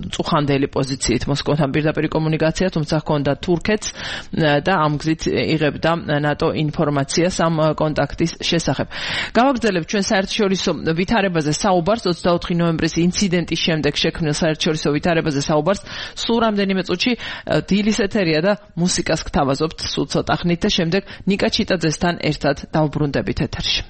წუხანდელი პოზიციით მოსკოვთან პირდაპირი კომუნიკაცია, თუმცა ჰქონდა თურქეთს და ამ გზით იღებდა ნატო ინფორმაციას ამ კონტაქტის შესახებ. გავაგრძელებთ ჩვენ საერთაშორისო ვითარებაზე საუბარს, ოცდაოთხი ნოემბრის ინციდენტის შემდეგ შექმნილ საერთაშორისო ვითარებაზე საუბარს. სულ რამდენიმე წუთში დილის ეთერია და მუსიკას გთავაზობთ სულ ცოტა ხნით და შემდეგ ნიკა ჩიტაძესთან ერთად დავბრუნდებით ეთერში.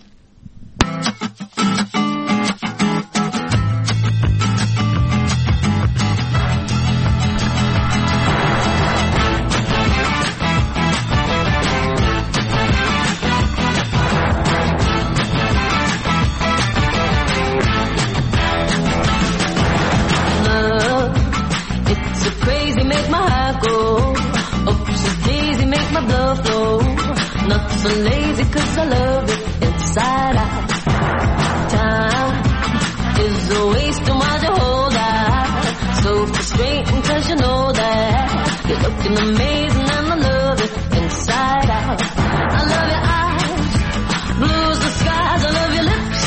Not so lazy cause I love it inside out. Time is a waste of my whole life. So frustrating cause you know that you're looking amazing and I love it inside out. I love your eyes, blues the skies. I love your lips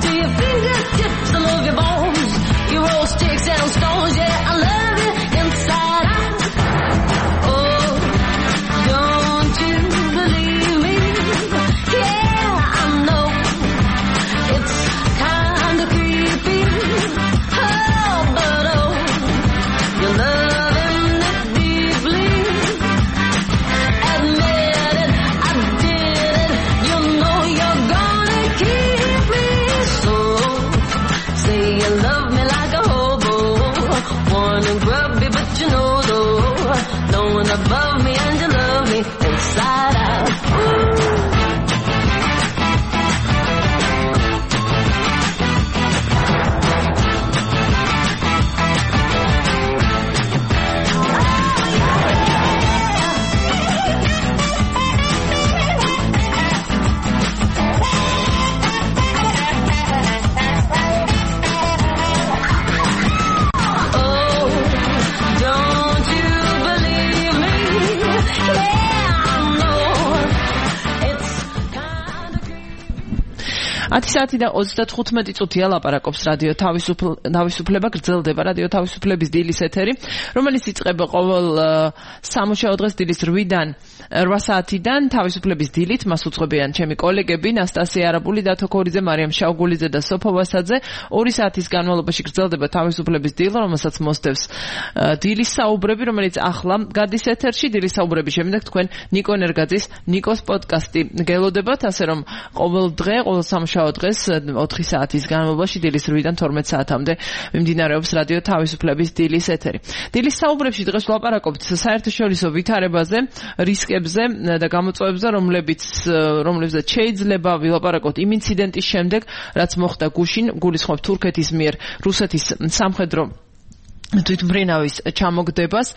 to your fingertips. I love your bones, you roll sticks and stones. Yeah, I love you inside out. Oh, don't you believe me? Yeah, I know it's kind of creepy. Oh, but oh, you're loving it deeply. Admit it, I did it. You know you're gonna keep me. So say you love me like a hobo, warm and grubby, but you know though, no one above me. inside out. Ooh. ათი საათი და ოცდათხუთმეტი წუთია ლაპარაკობს რადიო თავისუფლება, გრძელდება რადიო თავისუფლების დილის ეთერი, რომელიც იწყება ყოველ სამუშაო დღეს დილის რვიდან რვა საათიდან თავისუფლების დილით. მას უძღვებიან ჩემი კოლეგები ნასტასია არაბული, დათო ქორიძე, მარიამ შაუგულიძე და სოფო ვასაძე. ორი საათის განმავლობაში გრძელდება თავისუფლების დილ, რომელსაც მოსდევს დილის საუბრები, რომელიც ახლა გადის ეთერში. დილის საუბრების შემდეგ თქვენ ნიკო ნერგაძის ნიკოს პოდკასტი გელოდებათ, ასე რომ ყოველ დღე, ყოველ სამუშაო დღეს ოთხი საათის განმავლობაში დილის რვიდან თორმეტ საათამდე მიმდინარეობს რადიო თავისუფლების დილის ეთერი. დილის საუბრებში დღეს ვლაპარაკობთ საერთაშორისო ვითარებაზე, რისკებზე და გამოწვევებზე, რომლებიც რომლებზეც შეიძლება ვილაპარაკოთ იმ ინციდენტის შემდეგ, რაც მოხდა გუშინ, გულისხმობ თურქეთის მიერ რუსეთის სამხედრო თვითმფრინავის ჩამოგდებას,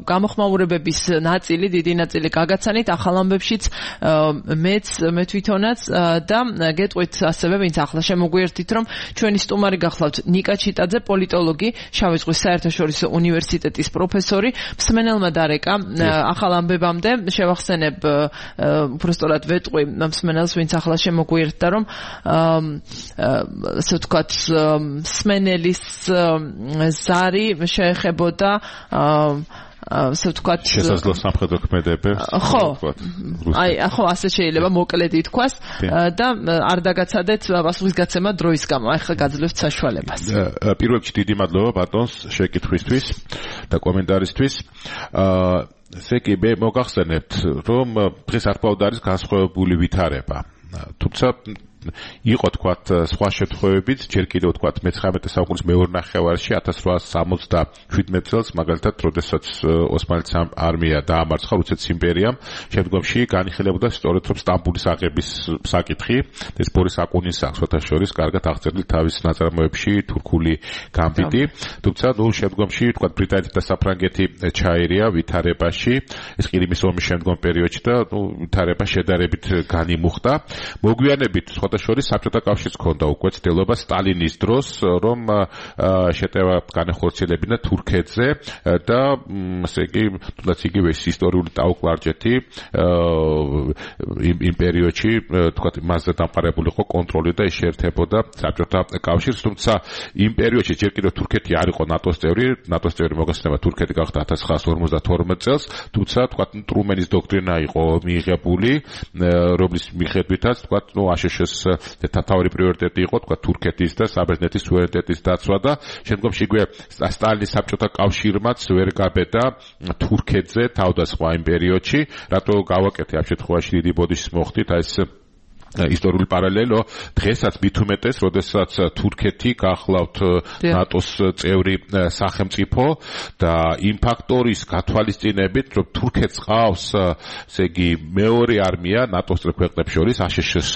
გამოხმაურებების ნაწილი, დიდი ნაწილი გაგაცანით ახალ ამბებშიც მეც მე თვითონაც და გეტყვით ასევე, ვინც ახლა შემოგვიერთით, რომ ჩვენი სტუმარი გახლავთ ნიკა ჩიტაძე, პოლიტოლოგი, შავი ზღვის საერთაშორისო უნივერსიტეტის პროფესორი. მსმენელმა დარეკა ახალ ამბებამდე, შევახსენებ უბრალოდ ვეტყვი მსმენელს, ვინც ახლა შემოგვიერთდა, რომ ასე ვთქვათ, მსმენელის ზარი შეეხებოდა ასე ვთქვათ შესაძლო სამხედრო ქმედებებს. ხო, აი, ხო, ასე შეიძლება მოკლედ ითქვას და არ დაგაცადეთ პასუხისგაცემა დროის გამო. აი, ხა გაძლევთ საშუალებას. პირველ რიგში დიდი მადლობა ბატონს შეკითხვისთვის და კომენტარისთვის. აა ესე იგი, მე მოგახსენებთ, რომ დღეს არქივად არის განსხვავებული ვითარება. თუმცა იყო თქვათ სხვა შემთხვევებიც, ჯერ კიდევ თქვათ მეცხრამეტე საუკუნის მეორე ნახევარში ათას რვაასი სამოცდაშვიდმეტ წელს, მაგალითად, როდესაც ოსმალეთის არმია დაამარცხა რუსეთის იმპერიამ, შემდგომში განიხილებოდა სწორედ რომ სტამბოლის აღების საკითხი, ეს ბორის აკუნის აქვს შორის კარგად აღწერილი თავის ნაწარმოებში თურქული გამბიტი, თუმცა ნუ შემდგომში თქვათ ბრიტანეთი და საფრანგეთი ჩაერია ვითარებაში, ეს ყირიმის ომის შემდგომ პერიოდში და ნუ ვითარება შედარებით განიმუხტა. მოგვიანებით შორის საბჭოთა კავშირს ჰქონდა უკვე ცდილობა სტალინის დროს, რომ შეტევა განეხორციელებინა თურქეთზე და ესე იგი, თუნდაც იგივე ისტორიული ტაუკლარჯეთი იმ პერიოდში, თქვათ, მასზე დამყარებული იყო კონტროლი და შეერთებოდა საბჭოთა კავშირს, თუმცა იმ პერიოდში ჯერ კიდევ თურქეთი არ იყო ნატოს წევრი, ნატოს წევრი მოგესწრება თურქეთი გახდა ათას ცხრაასი ორმოცდათორმეტ წელს, თუმცა თქვათ, ტრუმენის დოქტრინა იყო მიიღებული, რომლის მიხედვითაც, თქვათ, ნუ აშშ-ს თავი პრიორიტეტი იყო თქვა თურქეთის და საბერძნეთის სუვერენიტეტის დაცვა და შემდგომში იგივე სტალინის საბჭოთა კავშირმაც ვერ გაბედა თურქეთზე თავდასხმა იმ პერიოდში, რატო გავაკეთე ამ შემთხვევაში დიდი ბოდიშის მოხდით აი ეს ისტორიული პარალელო, დღესაც მით უმეტეს, როდესაც თურქეთი გახლავთ ნატოს წევრი სახელმწიფო და იმ ფაქტორის გათვალისწინებით, რომ თურქეთს ყავს, ესე იგი, მეორე არმია ნატოს წევრ ქვეყნებს შორის აშშ-ის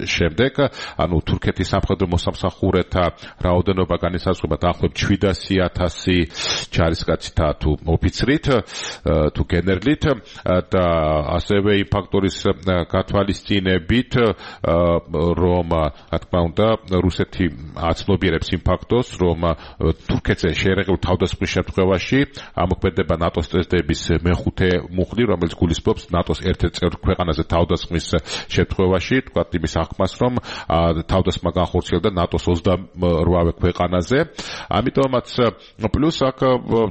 შემდეგ, ანუ თურქეთის სამხედრო მოსამსახურეთა რაოდენობა განისაზღვრება დაახლოებით შვიდასი ათასი ჯარისკაცითა თუ ოფიცრით, თუ გენერლით და ასევე იმ ფაქტორის გათვალისწინებით, რომ რა თქმა უნდა რუსეთი აცნობიერებს იმ ფაქტოს, რომ თურქეთზე შეერეღებულ თავდასხმის შემთხვევაში ამოქმედება ნატოს წესდების მეხუთე მუხლი, რომელიც გულისხმობს ნატოს ერთ-ერთ წევრ ქვეყანაზე თავდასხმის შემთხვევაში, თქვათ იმის აღქმას, რომ თავდასხმა განხორციელდა ნატოს ოცდაორვე ქვეყანაზე. ამიტომაც პლუს აქ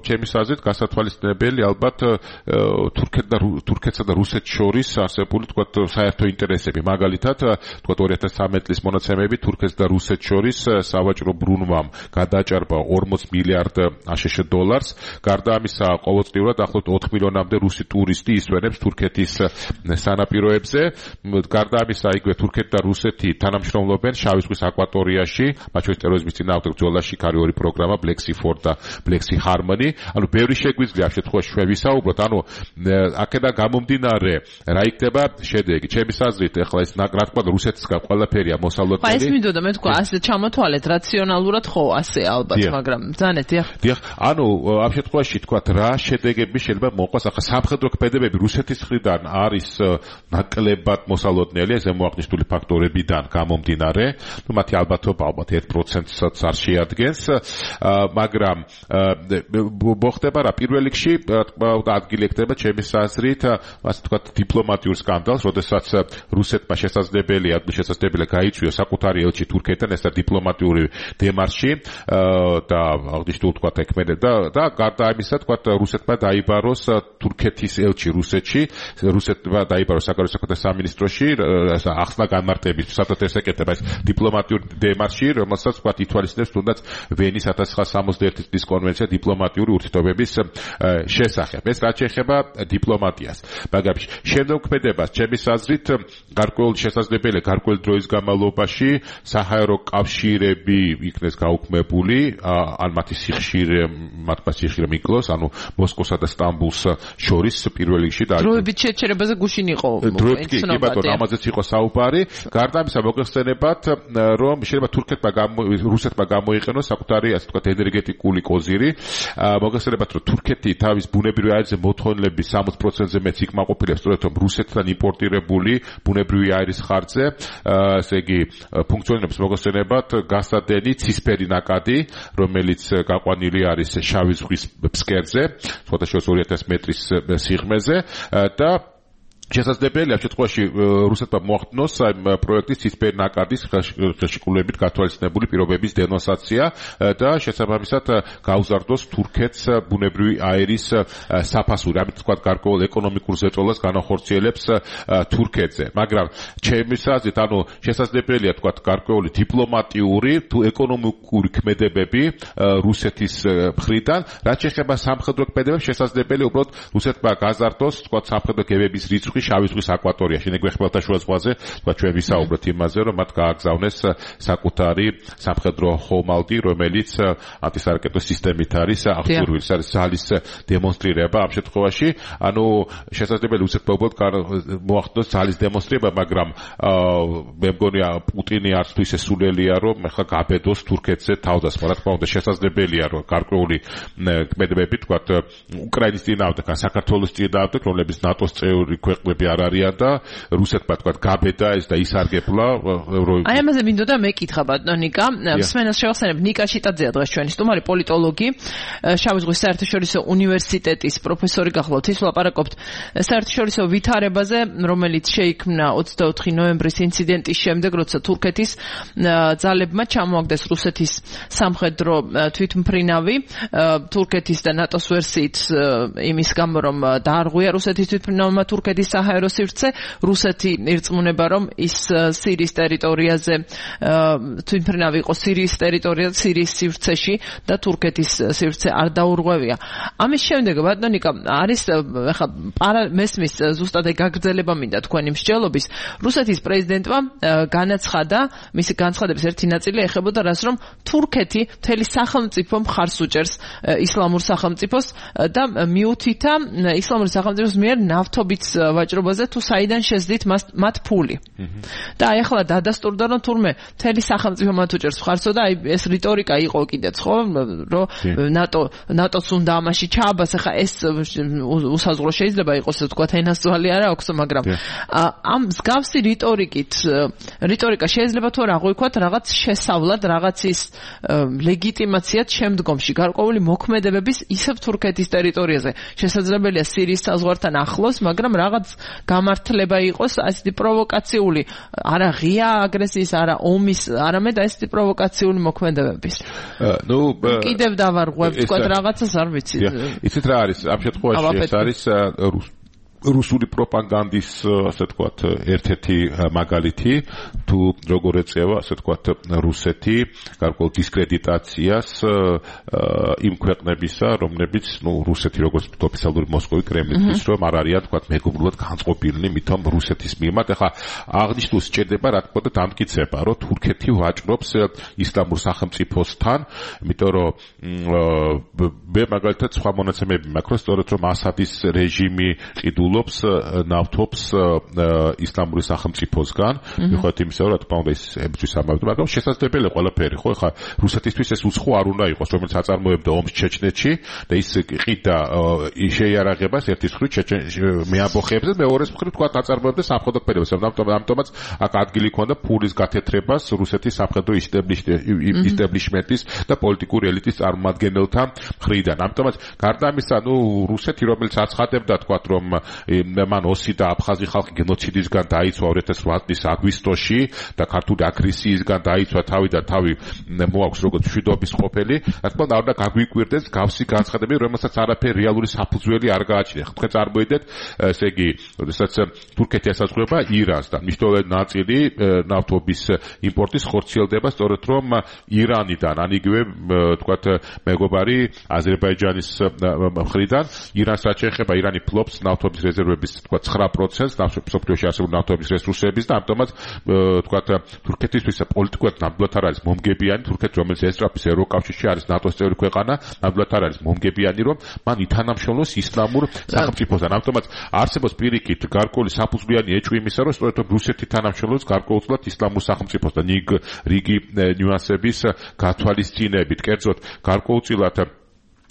ჩემის აზრით გასათვალისწინებელი ალბათ თურქეთსა და რუსეთს შორის არსებული თქვათ საერთო ინტერესები, მაგალითად თქვა ორი ათას ცხრამეტი წლის მონაცემები თურქეთს და რუსეთს შორის სავაჭრო ბრუნვამ გადააჭარბა ორმოც მილიარდ აშშ დოლარს. გარდა ამისა, ყოველწლიურად ახლობთ ოთხ მილიონამდე რუსი ტურისტი ისვენებს თურქეთის სანაპიროებზე. გარდა ამისა, იგივე თურქეთი და რუსეთი თანამშრომლობენ შავი ზღვის აკვატორიაში, მათ შორის ტერორიზმის წინააღმდეგ ბრძოლაში ქარი ორი პროგრამა Black Sea Fort და Black Sea Harmony. ანუ ბევრი შეგვიძლია ამ შემთხვევაში ჩვენ ვისაუბროთ. ანუ აქედან გამომდინარე, რა იქნება შედეგი? ჩემი აზრით, ეხლა ეს რა თქმა უნდა რუსეთისგან ყველაფერია მოსალოდნელი. ეს მინდოდა მე თქვა, ასე ჩამოთვალეთ რაციონალურად ხო ასე ალბათ, მაგრამ ძანეთ, დიახ. დიახ, ანუ ამ შემთხვევაში თქვათ რა შედეგები შეიძლება მოყვას. ახლა სამხედრო ქმედებები რუსეთის მხრიდან არის ნაკლებად მოსალოდნელი, ეს მოაღნიშნული ფაქტორებიდან გამომდინარე. ნუ მათი ალბათობა ალბათ ერთ პროცენტსაც არ შეადგენს, მაგრამ მოხდება რა პირველ რიგში ადგილი ექნება ჩემი აზრით, ასე ვთქვათ, დიპლომატიურ სკანდალს, როდესაც რუსეთმა შესაძლებელია, შესაძლებელია გაიწვიოს საკუთარი ელჩი თურქეთთან, ეს დიპლომატიური დემარში და აღნიშნულ თქვათ ეკმედება და გარდა ამისა თქვათ რუსეთმა დაიბაროს თურქეთის ელჩი რუსეთში, რუსეთმა დაიბაროს საგარეო საქმეთა სამინისტროში, ახსნა განმარტების საფრთხეს ეკეთება ეს დიპლომატიური დემარში, რომელსაც თქვათ ითვალისწინებს თუნდაც ვენის ათას ცხრაასა სამოცდაერთი წლის კონვენცია დიპლომატიური ურთიერთობების შესახებ. ეს რაც შეეხება დიპლომატიას. მაგრამ შემდგომქმედებას ჩემი აზრით გარკვეული შესაძლებელია გარკვეული დროის განმავლობაში საჰაერო კავშირები იქნეს გაუქმებული, ან მათი სიხშირე, მათმა სიხშირე მიკლოს, ანუ მოსკოვსა და სტამბულს შორის პირველ რიგში და დროებით შეჩერებაზე გუშინ იყო დროებით კი ბატონო, ამაზეც იყო საუბარი. გარდა ამისა მოგეხსენებათ, რომ შეიძლება თურქეთმა რუსეთმა გამოიყენოს საკუთარი, ასე ვთქვათ, ენერგეტიკული კოზირი. მოგეხსენებათ, რომ თურქეთი თავის ბუნებრივი აირზე მოთხოვნილების სამოცი პროცენტზე მეც იკმაყოფილებს, სწორედ რომ რუსეთთან იმპორტირებული ბუნებრივი აირის ხარჯზე, ესე იგი ფუნქციონირებს მოგეხსენებათ გასადენი ცისფერი ნაკადი, რომელიც გაყვანილი არის შავი ზღვის ფსკერზე, სხვადასხვა ორი ათას მეტრის სიღრმეზე და შესაძლებელია ამ შემთხვევაში რუსეთმა მოახდინოს ამ პროექტის ცისფერი ნაკადის ხელშეკრულებით გათვალისწინებული პირობების დენონსაცია და შესაბამისად გაუზარდოს თურქეთს ბუნებრივი აირის საფასური. ამით თქვა გარკვეულ ეკონომიკურ ზეწოლას განახორციელებს თურქეთზე. მაგრამ ჩემი აზრით, ანუ შესაძლებელია თქვა გარკვეული დიპლომატიური თუ ეკონომიკური ქმედებები რუსეთის მხრიდან, რაც შეეხება სამხედრო ქმედებებს, შესაძლებელია უბრალოდ რუსეთმა გაზარდოს თქვა სამხედრო გებების რიცხვი შავი ზღვის აკვატორიაში, ნეგ ხმელთაშუა ზღვაზე, თქვა ჩვენ ვისაუბროთ იმაზე, რომ მათ გააგზავნეს საკუთარი სამხედრო ხომალდი, რომელიც ანტისარაკეტო სისტემით არის აღჭურვილი, ეს არის ძალის დემონსტრირება ამ შემთხვევაში. ანუ შესაძლებელია რუსეთმა უბრალოდ მოახდინოს ძალის დემონსტრირება, მაგრამ მე მგონია პუტინი არც თუ ისე სულელია, რომ ახლა გაბედოს თურქეთზე თავდასხმა. რა თქმა უნდა, შესაძლებელია, რომ გარკვეული ქმედებები, თქვა უკრაინის წინააღმდეგ, ან საქართველოს წინააღმდეგ, რომლებიც ნატოს წევრი ქვეყნები არ არიან და რუსეთმა თქვა გაბედა ეს და ისარგებლა. აი ამაზე მინდოდა მეკითხა ბატონო ნიკა, მსმენელს შევახსენებ, ნიკა შიტაძეა დღეს ჩვენი სტუმარი, პოლიტოლოგი, შავი ზღვის საერთაშორისო უნივერსიტეტის პროფესორი გახლავთ. ის ვლაპარაკობთ საერთაშორისო ვითარებაზე, რომელიც შეიქმნა ოცდაოთხი ნოემბრის ინციდენტის შემდეგ, როცა თურქეთის ძალებმა ჩამოაგდეს რუსეთის სამხედრო თვითმფრინავი, თურქეთის და ნატოს ვერსიით იმის გამო, რომ დაარღვია რუსეთის თვითმფრინავმა თურქეთის საჰაერო სივრცე, რუსეთი ირწმუნება, რომ ის სირიის ტერიტორიაზე თვითმფრინავი იყო სირიის ტერიტორიაზე, სირიის სივრცეში და თურქეთის სივრცე არ დაურღვევია. ამის შემდეგ ბატონო ნიკა, არის ახლა მესმის ზუსტად ეგ გაგრძელება მინდა თქვენი მსჯელობის. რუსეთის პრეზიდენტმა განაცხადა, მისი განცხადების ერთი ნაწილი ეხებოდა რას, რომ თურქეთი მთელი სახელმწიფო მხარს უჭერს ისლამურ სახელმწიფოს და მიუთითა ისლამური სახელმწიფოს მიერ ნავთობით ვაჭრობაზე თუ საიდან შეძდით მათ ფული. და აი ახლა დადასტურდა, რომ თურმე მთელი სახელმწიფო მათ უჭერს მხარსო და აი ეს რიტორიკა იყო კიდეც, ხო, რომ ნატო ნატოს უნდა ამაში ჩააბას. ახლა ეს უსაზღვრო შეიძლება იყოს, თქვა ენასწვალი არა აქვს, მაგრამ ამ მსგავსი რიტორიკით რიტორიკა შეიძლება თუ რა აღვიქვათ რაღაც შესავლად, რაღაცის ლეგიტიმაციად შემდგომში გარკვეული მოქმედებების ისევ თურქეთის ტერიტორიაზე. შესაძლებელია სირიის საზღვართან ახლოს, მაგრამ რაღაც გამართლება იყოს ასეთი პროვოკაციული, არა ღია აგრესიის, არა ომის, არამედ ასეთი პროვოკაციული მოქმედებების. ნუ კიდევ დავარღვევ, თქვა რაღაცას არ ვიცი. იცით რა არის ამ შემთხვევაში, ეს არის რუსული პროპაგანდის ასე თქვათ ერთ-ერთი მაგალითი თუ როგორ ეწევა ასე თქვათ რუსეთი გარკვეულ დისკრედიტაციას იმ ქვეყნებისა რომლებიც ნუ რუსეთი როგორც ოფიციალური მოსკოვი კრემლისთვის რომ არ არიან თქვათ მეგობრულად განწყობილნი მithom რუსეთის მიმართ ახლა აღნიშნულ სჭირდება რა თქმა უნდა დამტკიცება რომ თურქეთი ვაჭრობს ისლამურ სახელმწიფოსთან იმიტომ რომ მე მაგალითად სხვა მონაცემები მაქვს სწორედ რომ ასადის რეჟიმი ყიდულობს ნავთობს ისლამური სახელმწიფოსგან მიუხედავად იმისა რომ რა თქმა უნდა ის ებრძვის ამბავი მაგრამ შესაძლებელია ყველაფერი ხო ეხლა რუსეთისთვის ეს უცხო არ უნდა იყოს რომელიც აწარმოებდა ომს ჩეჩნეთში და ის ყიდა შეიარაღებას ერთის მხრივ მეამბოხებზე მეორეს მხრივ თქვა აწარმოებდა სამხედრო ქმედებას ამიტომაც აქ ადგილი ქონდა ფულის გათეთრებას რუსეთის სამხედრო ისტაბლიშმენტის და პოლიტიკური ელიტის წარმომადგენელთა მხრიდან ამიტომაც გარდა ამისა ნუ რუსეთი რომელიც აცხადებდა თქვა რომ მან ოსი და აფხაზი ხალხი გენოციდისგან დაიცვა ორი ათას ოთხ წლის აგვისტოში და ქართული აგრესიისგან დაიცვა თავი და თავი მოაქვს როგორც მშვიდობის ყოფილი რა თქმა უნდა არ უნდა გაგვიკვირდეს გავსი განცხადებები რომელსაც არაფერი რეალური საფუძველი არ გააჩნია თქვენ წარმოიდეთ ესე იგი როდესაც თურქეთი ესაზღვრება ირანს და მნიშვნელოვანი ნაწილი ნავთობის იმპორტის ხორციელდება სწორედ რომ ირანიდან ან იგივე თქვათ მეგობარი აზერბაიჯანის მხრიდან ირანს რაც შეეხება ირანი ფლობს ნავთობის რეზერვების თქვათ ცხრა პროცენტს მსოფლიოში არსებული ნავთობის რესურსების და ამიტომაც თქვათ თურქეთისთვის პოლიტიკურად ნამდვილად არ არის მომგებიანი თურქეთი რომელიც ესწრაფის ევროკავშირში არის ნატოს წევრი ქვეყანა ნამდვილად არ არის მომგებიანი რომ მან ითანამშრომლოს ისლამურ სახელმწიფოსთან ამიტომაც არსებობს პირიქით გარკვეული საფუძვლიანი ეჭვი იმისა რომ სწორედ რუსეთი თანამშრომლობს გარკვეულწილად ისლამურ სახელმწიფოსთან რიგი ნიუანსების გათვალისწინებით კერძოდ გარკვეულწილად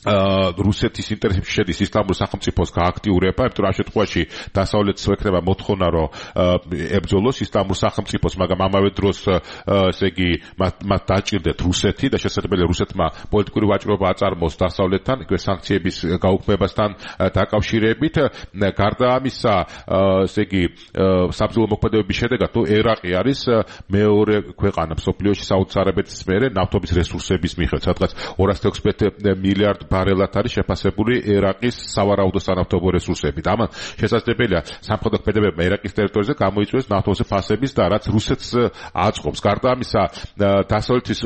რუსეთის ინტერესებში შედის ისლამურ სახელმწიფოს გააქტიურება, იმიტომ რომ ამ შემთხვევაში დასავლეთს ექნება მოთხოვნა, რომ ებრძოლოს ისლამურ სახელმწიფოს, მაგრამ ამავე დროს ესე იგი მათ დაჭირდეთ რუსეთი და შესაძლებელია რუსეთმა პოლიტიკური ვაჭრობა აწარმოოს დასავლეთთან, იგივე სანქციების გაუქმებასთან დაკავშირებით. გარდა ამისა, ესე იგი საბრძოლო მოქმედებების შედეგად ერაყი არის მეორე ქვეყანა მსოფლიოში საუდის არაბეთის მერე ნავთობის რესურსების მიხედვით, სადღაც ორასი ოცდაექვსი მილიარდ ბარელად არის შეფასებული ერაყის სავარაუდო სანავთობო რესურსებით. ამან შესაძლებელია სამხედრო ქმედებებმა ერაყის ტერიტორიაზე გამოიწვიოს ნავთობის ფასების და რაც რუსეთს აწყობს. გარდა ამისა, დასავლეთის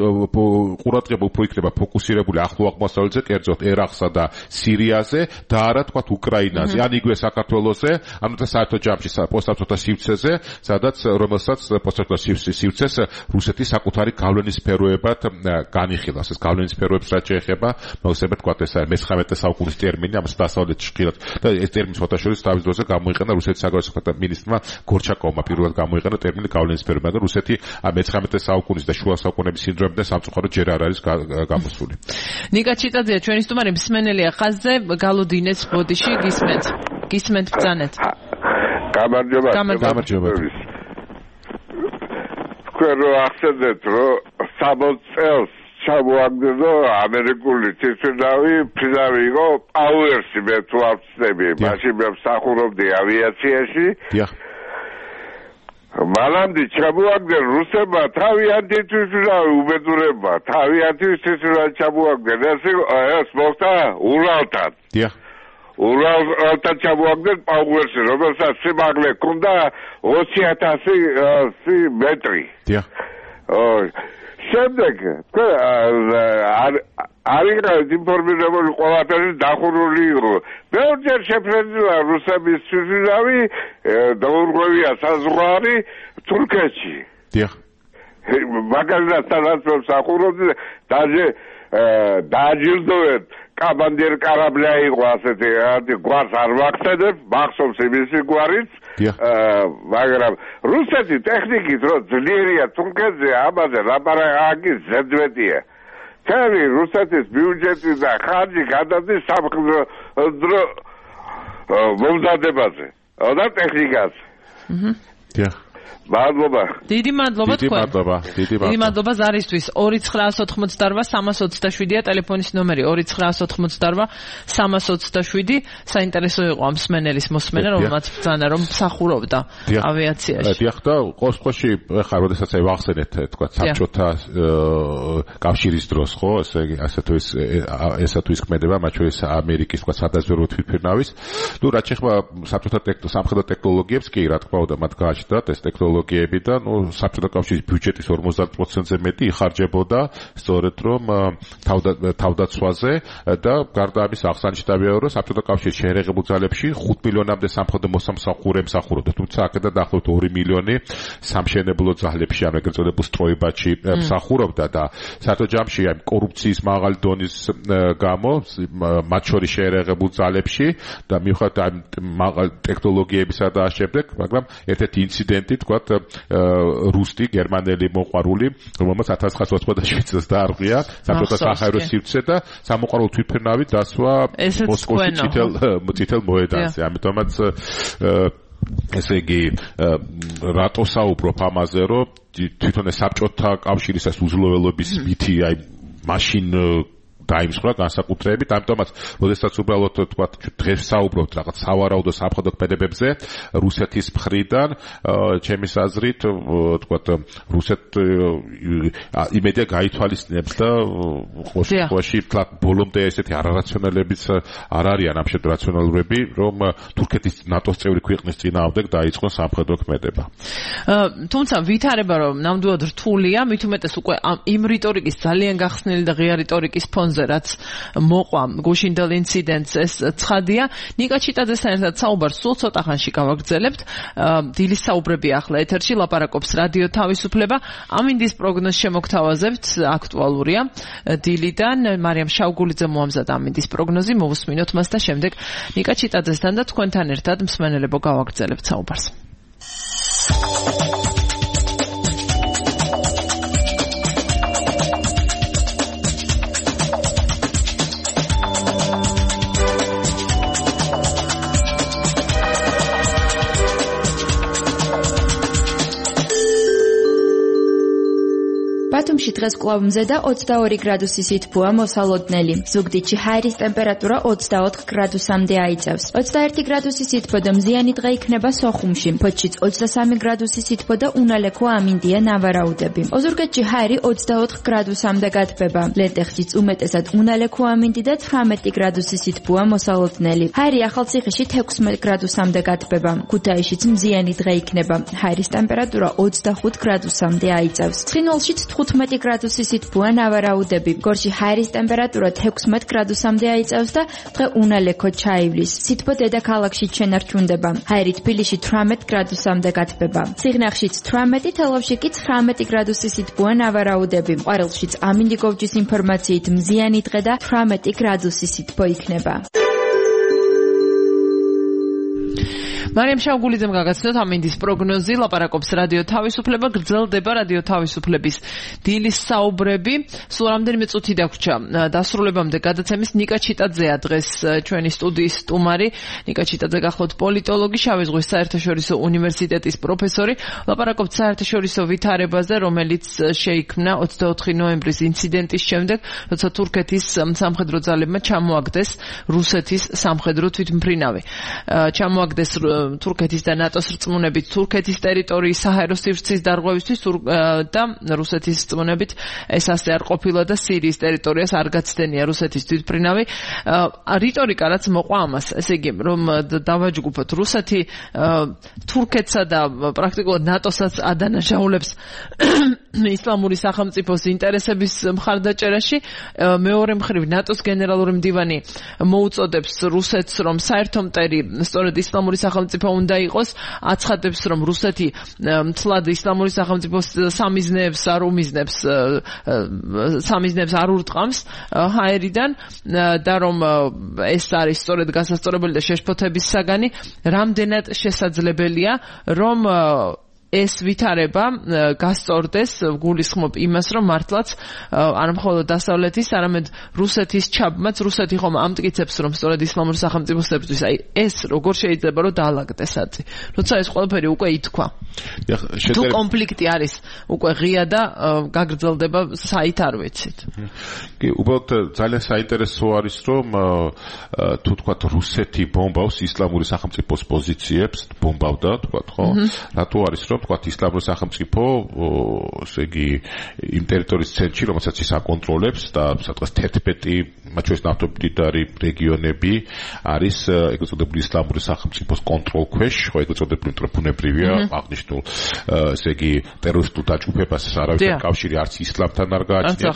ყურადღება უფრო იქნება ფოკუსირებული ახლო აღმოსავლეთზე, კერძოდ ერაყსა და სირიაზე და არა თქვათ უკრაინაზე, ან იგივე საქართველოსზე, ანუ და საერთო ჯამში პოსტსაბჭოთა სივრცეზე, სადაც რომელსაც პოსტსაბჭოთა სივრცეს რუსეთის საკუთარი გავლენის სფეროებად განიხილავს. ეს გავლენის სფეროებს რაც შეეხება, მოხსენებთ თქვათ ეს მეცხრამეტე საუკუნის ტერმინი, ამას დასავლეთში ხილად და ეს ტერმინი ფოტოშორის თავის დროზე გამოიყენა რუსეთის საგარეო საქმეთა მინისტრმა გორჩაკოვმა პირველად გამოიყენა ტერმინი გავლენის სფერო, მაგრამ რუსეთი მეცხრამეტე საუკუნის და შუა საუკუნეების სინდრომიდან სამწუხაროდ ჯერ არ არის გამოსული. ნიკა ჩიტაძეა ჩვენი სტუმარი, მსმენელია ხაზზე, გალოდინეც ბოდიში გისმენთ. გისმენთ ბრძანეთ. გამარჯობა. გამარჯობა. თქვენ რო ახსენეთ, რომ სამოცი წელს ჩამოაგდო ამერიკული თვითმფრინავი ფრინავი იყო პაუერსი, მე თუ არ ვცდები, მაშინ მე მსახურობდი ავიაციაში. დიახ. მანამდე ჩამოაგდნენ რუსებმა თავიანთი თვითმფრინავი უბედურებმა, თავიანთი თვითმფრინავი ჩამოაგდნენ. ეს ეს მოხდა ურალთან. დიახ. ურალთან ჩამოაგდნენ პაუერსი, რომელსაც სიმაღლე ჰქონდა ოცი ათასი მეტრი. დიახ. ოი შემდეგ არის ინფორმირებული ყველაფერი დახურული იყო. ბევრჯერ შეფრენილა რუსების თვითმფრინავი დაურღვევია საზღვარი თურქეთში. დიახ. მაგალითად სადაც მსახურობდი, დაჟე დააჯილდოვეთ კაბანდერ კარაბლია იყო ასეთი, გვარს არ ვახსენებ, მახსოვს იმისი გვარიც. მაგრამ რუსეთი ტექნიკით რო ძლიერია თურქეთზე, ამაზე ლაპარაკი ზედმეტია. თემი რუსეთის ბიუჯეტი და ხარჯი გადადის სამხედრო მომზადებაზე და ტექნიკაზე. დიახ. მადლობა. დიდი მადლობა დიდი თქვენ. მადლობა. დიდი დიდი მადლობა ზარისთვის. ორი ცხრაას ოთხმოცდაოთხ სამას ოცდაშვიდია ტელეფონის ნომერი ორი ცხრაას ოთხმოცდაოთხ სამას ოცდაშვიდი. საინტერესო იყო ამ მსმენელის მოსმენა, რომელმაც ბრძანა რომ მსახურობდა ავიაციაში. დიახ და ყოველ შემთხვევაში ხარ როდესაც აი ვახსენეთ თქვა საბჭოთა კავშირის დროს ხო ესე იგი ასე თუ ის ესა თუ ის ქმედება მათ შორის ამერიკის თქვა სადაზვერვო თვითმფრინავის ნუ რაც შეეხება საბჭოთა სამხედრო ტექნოლოგიებს კი რა თქმა უნდა მათ გააჩნდათ ეს ტექნოლოგიები და ნუ საბჭოთა კავშირის ბიუჯეტის ორმოცდაათ პროცენტზე მეტი იხარჯებოდა სწორედ რომ თავდაცვაზე და გარდა ამის აღსანიშნავია რომ საბჭოთა კავშირის შეერაღებულ ძალებში ხუთ მილიონამდე სამხედრო მოსამსახურე მსახურობდა თუმცა აქედან დაახლოებით ორი მილიონი სამშენებლო ძალებში ან ეგრეთ წოდებულ სტროებაში მსახურობდა და საერთო ჯამში აი კორუფციის მაღალი დონის გამო მათ შორის შეერაღებულ ძალებში და მიუხედავად ამ მაღალ ტექნოლოგიებისა და შემდეგ მაგრამ ერთ-ერთი ინციდენტი თქვათ რუსტი გერმანელი მოყვარული რომელმაც ათას ცხრაასი ოცდაშვიდ წელს დაარღვია საბჭოთა საჰაერო სივრცე და სამოყვარულო თვითმფრინავი დასვა მოსკოვში წითელ წითელ მოედანზე ამიტომაც ესე იგი რატო საუბრობ ამაზე რომ თვითონ ეს საბჭოთა კავშირის ეს უზრუნველობის მითი აი მაშინ დაიმსხვრა განსაკუთრებით, ამიტომაც, როდესაც უბრალოდ თქვა დღეს საუბრობთ რაღაც სავარაუდო სამხედრო ქმედებებზე რუსეთის მხრიდან, ჩემის აზრით, თქვა რუსეთ იმედია გაითვალისწინებს და ყოველ შემთხვევაში თქვა ბოლომდე ესეთი არარაციონალებიც არ არიან ამ შედგ რაციონალურები, რომ თურქეთის ნატოს წევრი ქვეყნის წინააღმდეგ დაიწყონ სამხედრო ქმედება. თუმცა ვითარება რომ ნამდვილად რთულია, მით უმეტეს უკვე იმ რიტორიკის ძალიან გახსნილი და ღია რიტორიკის ფონზე რაც მოყვა გუშინდელ ინციდენტს ეს ცხადია. ნიკა ჩიტაძესთან ერთად საუბარს სულ ცოტა ხანში გავაგრძელებთ. დილის საუბრები ახლა ეთერში ლაპარაკობს რადიო თავისუფლება. ამინდის პროგნოზს შემოგთავაზებთ, აქტუალურია. დილიდან მარიამ შავგულიძე მოამზადა ამინდის პროგნოზი, მოვუსმინოთ მას და შემდეგ ნიკა ჩიტაძესთან და თქვენთან ერთად მსმენელებო გავაგრძელებთ საუბარს. ბათუმში დღეს კვლავ მზედა ოცდაორი გრადუსი სითბოა მოსალოდნელი. ზუგდიდში ჰაერის ტემპერატურა ოცდაოთხ გრადუსამდე აიწევს. ოცდაერთი გრადუსი სითბო და მზიანი დღე იქნება სოხუმში. ფოთშიც ოცდასამი გრადუსი სითბო და უნალექო ამინდია ნავარაუდები. ოზურგეთში ჰაერი ოცდაოთხ გრადუსამდე გათბება. ლენტეხშიც უმეტესად უნალექო ამინდი და ცხრამეტი გრადუსი სითბოა მოსალოდნელი. ჰაერი ახალციხეში თექვსმეტ გრადუსამდე გათბება. ქუთაისშიც მზიანი დღე იქნება. ჰაერის ტემპერატურა ოცდახუთ გრადუსამდე აიწევს. ცხინვალშიც თხუთმეტი გრადუსი სითბოა ნავარაუდები. გორში ჰაერის ტემპერატურა თექვსმეტ გრადუსამდე აიწევს და დღე უნალექო ჩაივლის. სითბო დედაქალაქში შენარჩუნდება. ჰაერი თბილისში თვრამეტ გრადუსამდე გათბება. სიღნაღშიც თვრამეტი, თელავში კი ცხრამეტი გრადუსი სითბოა ნავარაუდები. ყვარელშიც ამინდიგოვჯის ინფორმაციით მზიანი დღე და თვრამეტი გრადუსი სითბო იქნება. მარიამ შავგულიძემ გაგაცნოთ ამინდის პროგნოზი, ლაპარაკობს რადიო თავისუფლება, გრძელდება რადიო თავისუფლების დილის საუბრები. სულ რამდენიმე წუთი დაგვრჩა დასრულებამდე გადაცემის. ნიკა ჩიტაძეა დღეს ჩვენი სტუდიის სტუმარი. ნიკა ჩიტაძე გახლავთ პოლიტოლოგი, შავი ზღვის საერთაშორისო უნივერსიტეტის პროფესორი. ლაპარაკობთ საერთაშორისო ვითარებაზე, რომელიც შეიქმნა ოცდაოთხი ნოემბრის ინციდენტის შემდეგ, როცა თურქეთის სამხედრო ძალებმა ჩამოაგდეს რუსეთის სამხედრო თვითმფრინავი. ჩამოაგდეს თურქეთის და ნატოს რწმუნებით თურქეთის ტერიტორიის საჰაერო სივრცის დარღვევისთვის და რუსეთის რწმუნებით ეს ასე არ ყოფილა და სირიის ტერიტორიას არ გაცდენია რუსეთის თვითმფრინავი. რიტორიკა რაც მოყვა ამას, ესე იგი რომ დავაჯგუფოთ რუსეთი თურქეთსა და პრაქტიკულად ნატოსაც ადანაშაულებს ისლამური სახელმწიფოს ინტერესების მხარდაჭერაში. მეორე მხრივ ნატოს გენერალური მდივანი მოუწოდებს რუსეთს რომ საერთო მტერი სწორედ ისლამური სახელმწიფო უნდა იყოს, აცხადებს რომ რუსეთი მთლად ისლამური სახელმწიფოს სამიზნეებს არ უმიზნებს სამიზნეებს არ ურტყამს ჰაერიდან და რომ ეს არის სწორედ გასასწორებელი და შეშფოთების საგანი. რამდენად შესაძლებელია რომ ეს ვითარება გასწორდეს, გულისხმობ იმას, რომ მართლაც არა მხოლოდ დასავლეთის, არამედ რუსეთის ჩაბმაც, რუსეთი ხომ ამტკიცებს, რომ სწორედ ისლამური სახელმწიფოსთვის აი ეს როგორ შეიძლება რომ დაალაგდეს აწი. როცა ეს ყველაფერი უკვე ითქვა. თუ კონფლიქტი არის უკვე ღია და გაგრძელდება საით არ ვიცით. კი, უბრალოდ ძალიან საინტერესო არის, რომ თუ თქვა რუსეთი ბომბავს ისლამური სახელმწიფოს პოზიციებს, ბომბავდა, თქვა, ხო? რატო არის, რომ თქვა ისლამური სახელმწიფო, ესე იგი, იმ ტერიტორიის ცენტრში, რომელსაც ის აკონტროლებს და სადღაც თერთმეტი, მათ შორის ნავთობმდიდარი რეგიონები არის ეგრეთ წოდებული ისლამური სახელმწიფოს კონტროლ ქვეშ, ხო, ეგრეთ წოდებული მტროფუნებრივია აღნიშნულ, ესე იგი, ტერორისტულ დაჯგუფებას არავითარ კავშირი არც ისლამთან არ გააჩნია,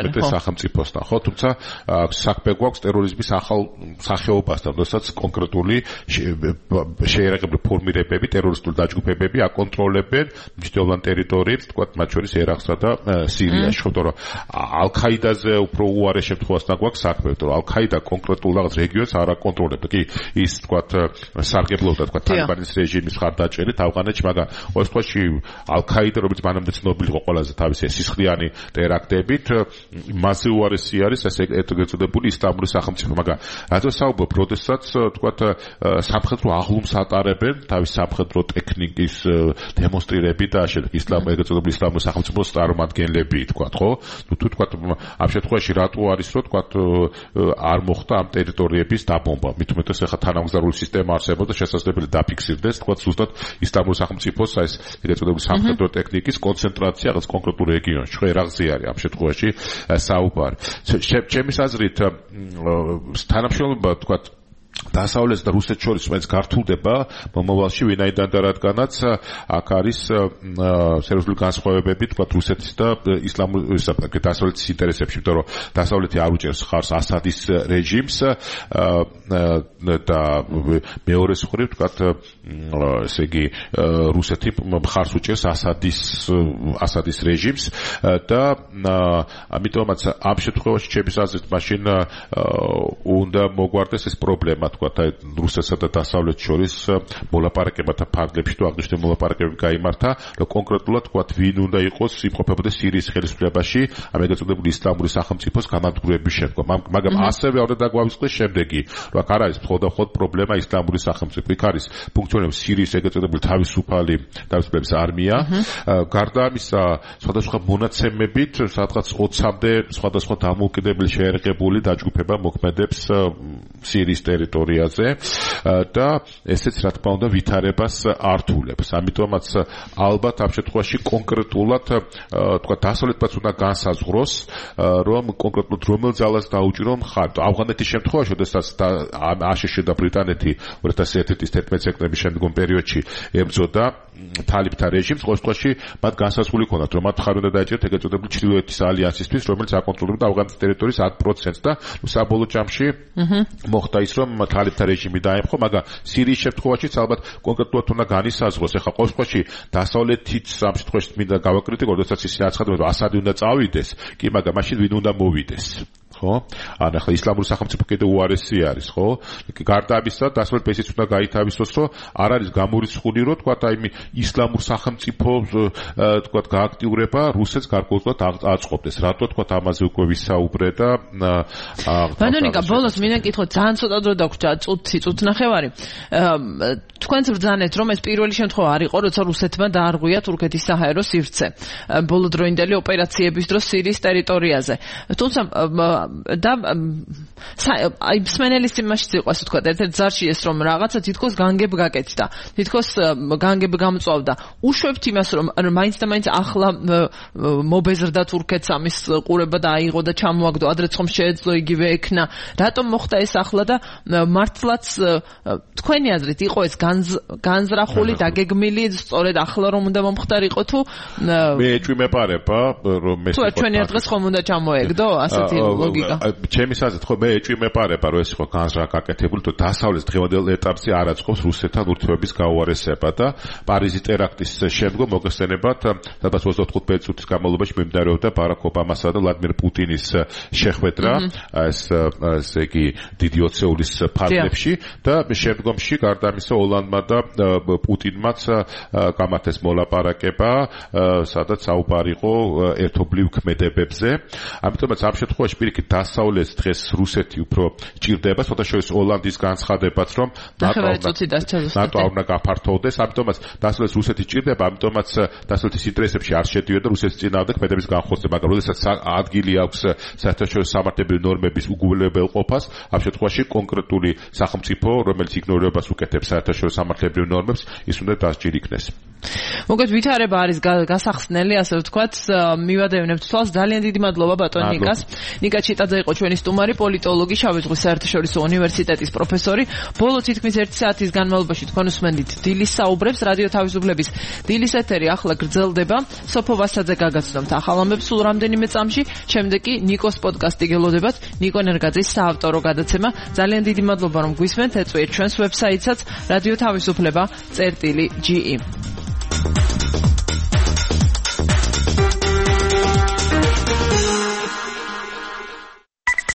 მეტად სახელმწიფოსთან, ხო, თუმცა საქმე გვაქვს ტერორიზმის ახალ სახეობასთან, როდესაც კონკრეტული შეერაღებული ფორმირებები, ტერორისტული დაჯგუფებები აკონტროლებენ მნიშვნელოვან ტერიტორიებს, თქვა, მათ შორის ერაყსა და სირიაში, ხო, თორემ ალ-ქაიდაზე უფრო უარეს შემთხვევასთან გვაქვს საქმე, თორემ ალ-ქაიდა კონკრეტულ რაღაც რეგიონს არ აკონტროლებდა. კი, ის თქვა, სარგებლობდა, თქვა, თალიბანის რეჟიმის მხარდაჭერით ავღანეთში, მაგრამ ყოველ შემთხვევაში ალ-ქაიდა, რომელიც მანამდე ცნობილი იყო ყველაზე თავისი სისხლიანი ტერაქტებით, მასზე უარესი არის ეს ეგრეთ წოდებული ისლამური სახელმწიფო, მაგრამ რადგან საუბრობ, როდესაც თქვა, სამხედრო აღლუმს ატარებენ თავის სამხედრო ტექნიკის დემონსტრირებით და შემდეგ ისლამ ეგრეთ წოდებული ისლამური სახელმწიფოს წარმომადგენლები, თქვა, ხო? ნუ თუ თქვა, ამ შემთხვევაში რატო არის, რომ თქვა, არ მოხდა ამ ტერიტორიების დაბომბა? მით უმეტეს ახლა თანამგზავრული სისტემა არსებობს და შესაძლებელი დაფიქსირდეს, თქვა, ზუსტად ისლამური სახელმწიფოს ეს ეგრეთ წოდებული სამხედრო ტექნიკის კონცენტრაცია რაღაც კონკრეტულ რეგიონში, ხო, ერაყზე არის ამ შემთხვევაში საუბარი. ჩემის აზრით, თანამშრომლობა, თქვა, დასავლეთს და რუსეთს შორის მაინც გართულდება მომავალში, ვინაიდან და რადგანაც აქ არის სერიოზული განსხვავებები, თქვა, რუსეთის და ისლამური დასავლეთის ინტერესებში, იმიტომ რომ დასავლეთი არ უჭერს ხარს ასადის რეჟიმს და მეორე მხრივ, თქვა, ესე იგი, რუსეთი ხარს უჭერს ასადის ასადის რეჟიმს და ამიტომაც ამ შემთხვევაში ჩემის აზრით მაშინ უნდა მოგვარდეს ეს პრობლემა, თქვა, რუსეთსა და დასავლეთს შორის მოლაპარაკებათა ფარგლებში თუ აღნიშნული მოლაპარაკებები გაიმართა, რომ კონკრეტულად, თქვა, ვინ უნდა იყოს იმყოფებოდეს სირიის ხელისუფლებაში ამ ეგრეთ წოდებული ისლამური სახელმწიფოს გამანადგურების შემდგომ. მაგრამ ასევე უნდა დაგვავიწყდეს შემდეგი, რომ აქ არ არის მხოლოდ პრობლემა ისლამური სახელმწიფო, იქ არის ფუნქციონირებს სირიის ეგრეთ წოდებული თავისუფალი თავისუფლების არმია, გარდა ამისა, სხვადასხვა მონაცემებით, სადღაც ოცამდე სხვადასხვა დამოუკიდებელი შეერაღებული დაჯგუფება მოქმედებს სირიის ტერიტორიაზე და ესეც, რა თქმა უნდა, ვითარებას ართულებს. ამიტომაც ალბათ ამ შემთხვევაში კონკრეტულად, თქვა, დასავლეთმაც უნდა განსაზღვროს, რომ კონკრეტულად რომელ ძალას დაუჭირო მხარ. ავღანეთის შემთხვევაში, როდესაც აშშ და ბრიტანეთი ორი ათას ერთი წლის თერთმეტი სექტემბრის შემდგომ პერიოდში ებრძოდა თალიბთა რეჟიმს, ყოველ შემთხვევაში მათ განსაზღვრული ჰქონდათ, რომ მათ მხარი უნდა დაეჭერათ ეგრეთ წოდებული ჩრდილოეთის ალიანსისთვის, რომელიც აკონტროლებდა ავღანეთის ტერიტორიის ათ პროცენტს და საბოლოო ჯამში მოხდა ის, რომ თალიბთა რეჟიმი დაემხო, მაგრამ სირიის შემთხვევაშიც ალბათ კონკრეტულად უნდა განისაზღვროს. ეხლა ყოველ შემთხვევაში დასავლეთიც ამ შემთხვევაში მინდა გავაკრიტიკო, როდესაც ისინი აცხადებენ, რომ ასადი უნდა წავიდეს, კი, მაგრამ მაშინ ვინ უნდა მოვიდეს? ხო? ან ახლა ისლამური სახელმწიფო კიდევ უარესი არის, ხო? გარდა ამისა, დასავლეთ ბესიც უნდა გაითავისოს, რომ არ არის გამორიცხული, რომ თქვა, აი ისლამურ სახელმწიფო, თქვა, გააქტიურება რუსეთს გარკვეულწილად აწყობდეს. რატო, თქვა, ამაზე უკვე ვისაუბრე და ბანონიკა, ბოლოს მინდა კითხო, ძალიან ცოტა დრო დაგვრჩა, წუთი, წუთნახევარი. თქვენც ბრძანეთ, რომ ეს პირველი შემთხვევა არ იყო, როცა რუსეთმა დაარღვია თურქეთის საჰაერო სივრცე ბოლოდროინდელი ოპერაციების დროს სირიის ტერიტორიაზე. თუმცა და აი სმენელის იმაშიც იყო, ასე ვთქვათ, ერთ-ერთ ზარში ეს, რომ რაღაცა თითქოს განგებ გაკეთდა, თითქოს განგებ გამწვავდა. უშვებთ იმას, რომ მაინც და მაინც ახლა მობეზრდა თურქეთს ამის ყურება და აიღო და ჩამოაგდო, ადრეც ხომ შეეძლო იგივე ექნა. რატომ მოხდა ეს ახლა და მართლაც თქვენი აზრით იყო ეს განზრახული, დაგეგმილი, სწორედ ახლა რომ უნდა მომხდარიყო თუ მე ეჭვმეპარება, რომ ეს თუ ჩვენი დღეს ხომ უნდა ჩამოეგდო ასეთი ლოგიკა. ჩემის აზრით, ხო, მე ეჭვი მეპარება, რომ ეს იყო განზრახ გაკეთებული, თუ დასავლეთ დღევანდელ ეტაპზე არ აწყობს რუსეთთან ურთიერთობის გაუარესება და პარიზის ტერაქტის შემდგომ მოგესწრებათ, სადაც ოცდაოთხ წუთის განმავლობაში მიმდინარეობდა ბარაკ ობამასა და ვლადიმერ პუტინის შეხვედრა, ეს ესე იგი დიდი ოცეულის ფარგლებში და შემდგომში გარდა ამისა ოლანდმა და პუტინმაც გამართეს მოლაპარაკება, სადაც საუბარი იყო ერთობლივ ქმედებებზე. ამიტომაც ამ შემთხვევაში პირიქით დასავლეთს დღეს რუსეთი უფრო ჭირდება, შესაძლოა ოლანდის განცხადებაც, რომ ნატო არ უნდა გაფართოვდეს, ამიტომაც დასავლეთს რუსეთი ჭირდება, ამიტომაც დასავლეთის ინტერესებში არ შედიოდა რუსეთის წინააღმდეგ ქმედების განხორციელება, მაგრამ როდესაც ადგილი აქვს საერთაშორისო სამართლებრივი ნორმების უგულებელყოფას, ამ შემთხვევაში კონკრეტული სახელმწიფო, რომელიც იგნორირებას უკეთებს საერთაშორისო სამართლებრივ ნორმებს, ის უნდა დასჭირ იქნეს. მოგეთ ვითარება არის გასახსნელი, ასე ვთქვათ, მივადევნებთ თვალს. ძალიან დიდი მადლობა ბატონ ნიკას. ნიკა ჩიტაძე იყო ჩვენი სტუმარი, პოლიტოლოგი, შავი ზღვის საერთაშორისო უნივერსიტეტის პროფესორი. ბოლო თითქმის ერთი საათის განმავლობაში თქვენ უსმენდით დილის საუბრებს, რადიო თავისუფლების დილის ეთერი ახლა გრძელდება. სოფო ვასაძე გაგაცნობთ ახალ ამბებს სულ რამდენიმე წამში, შემდეგ კი ნიკოს პოდკასტი გელოდებათ, ნიკო ნერგაძის საავტორო გადაცემა. ძალიან დიდი მადლობა რომ გვისმენთ, ეწვიეთ ჩვენს ვებსაიტსაც radio თავისუფლება წერტილი ჯი ი.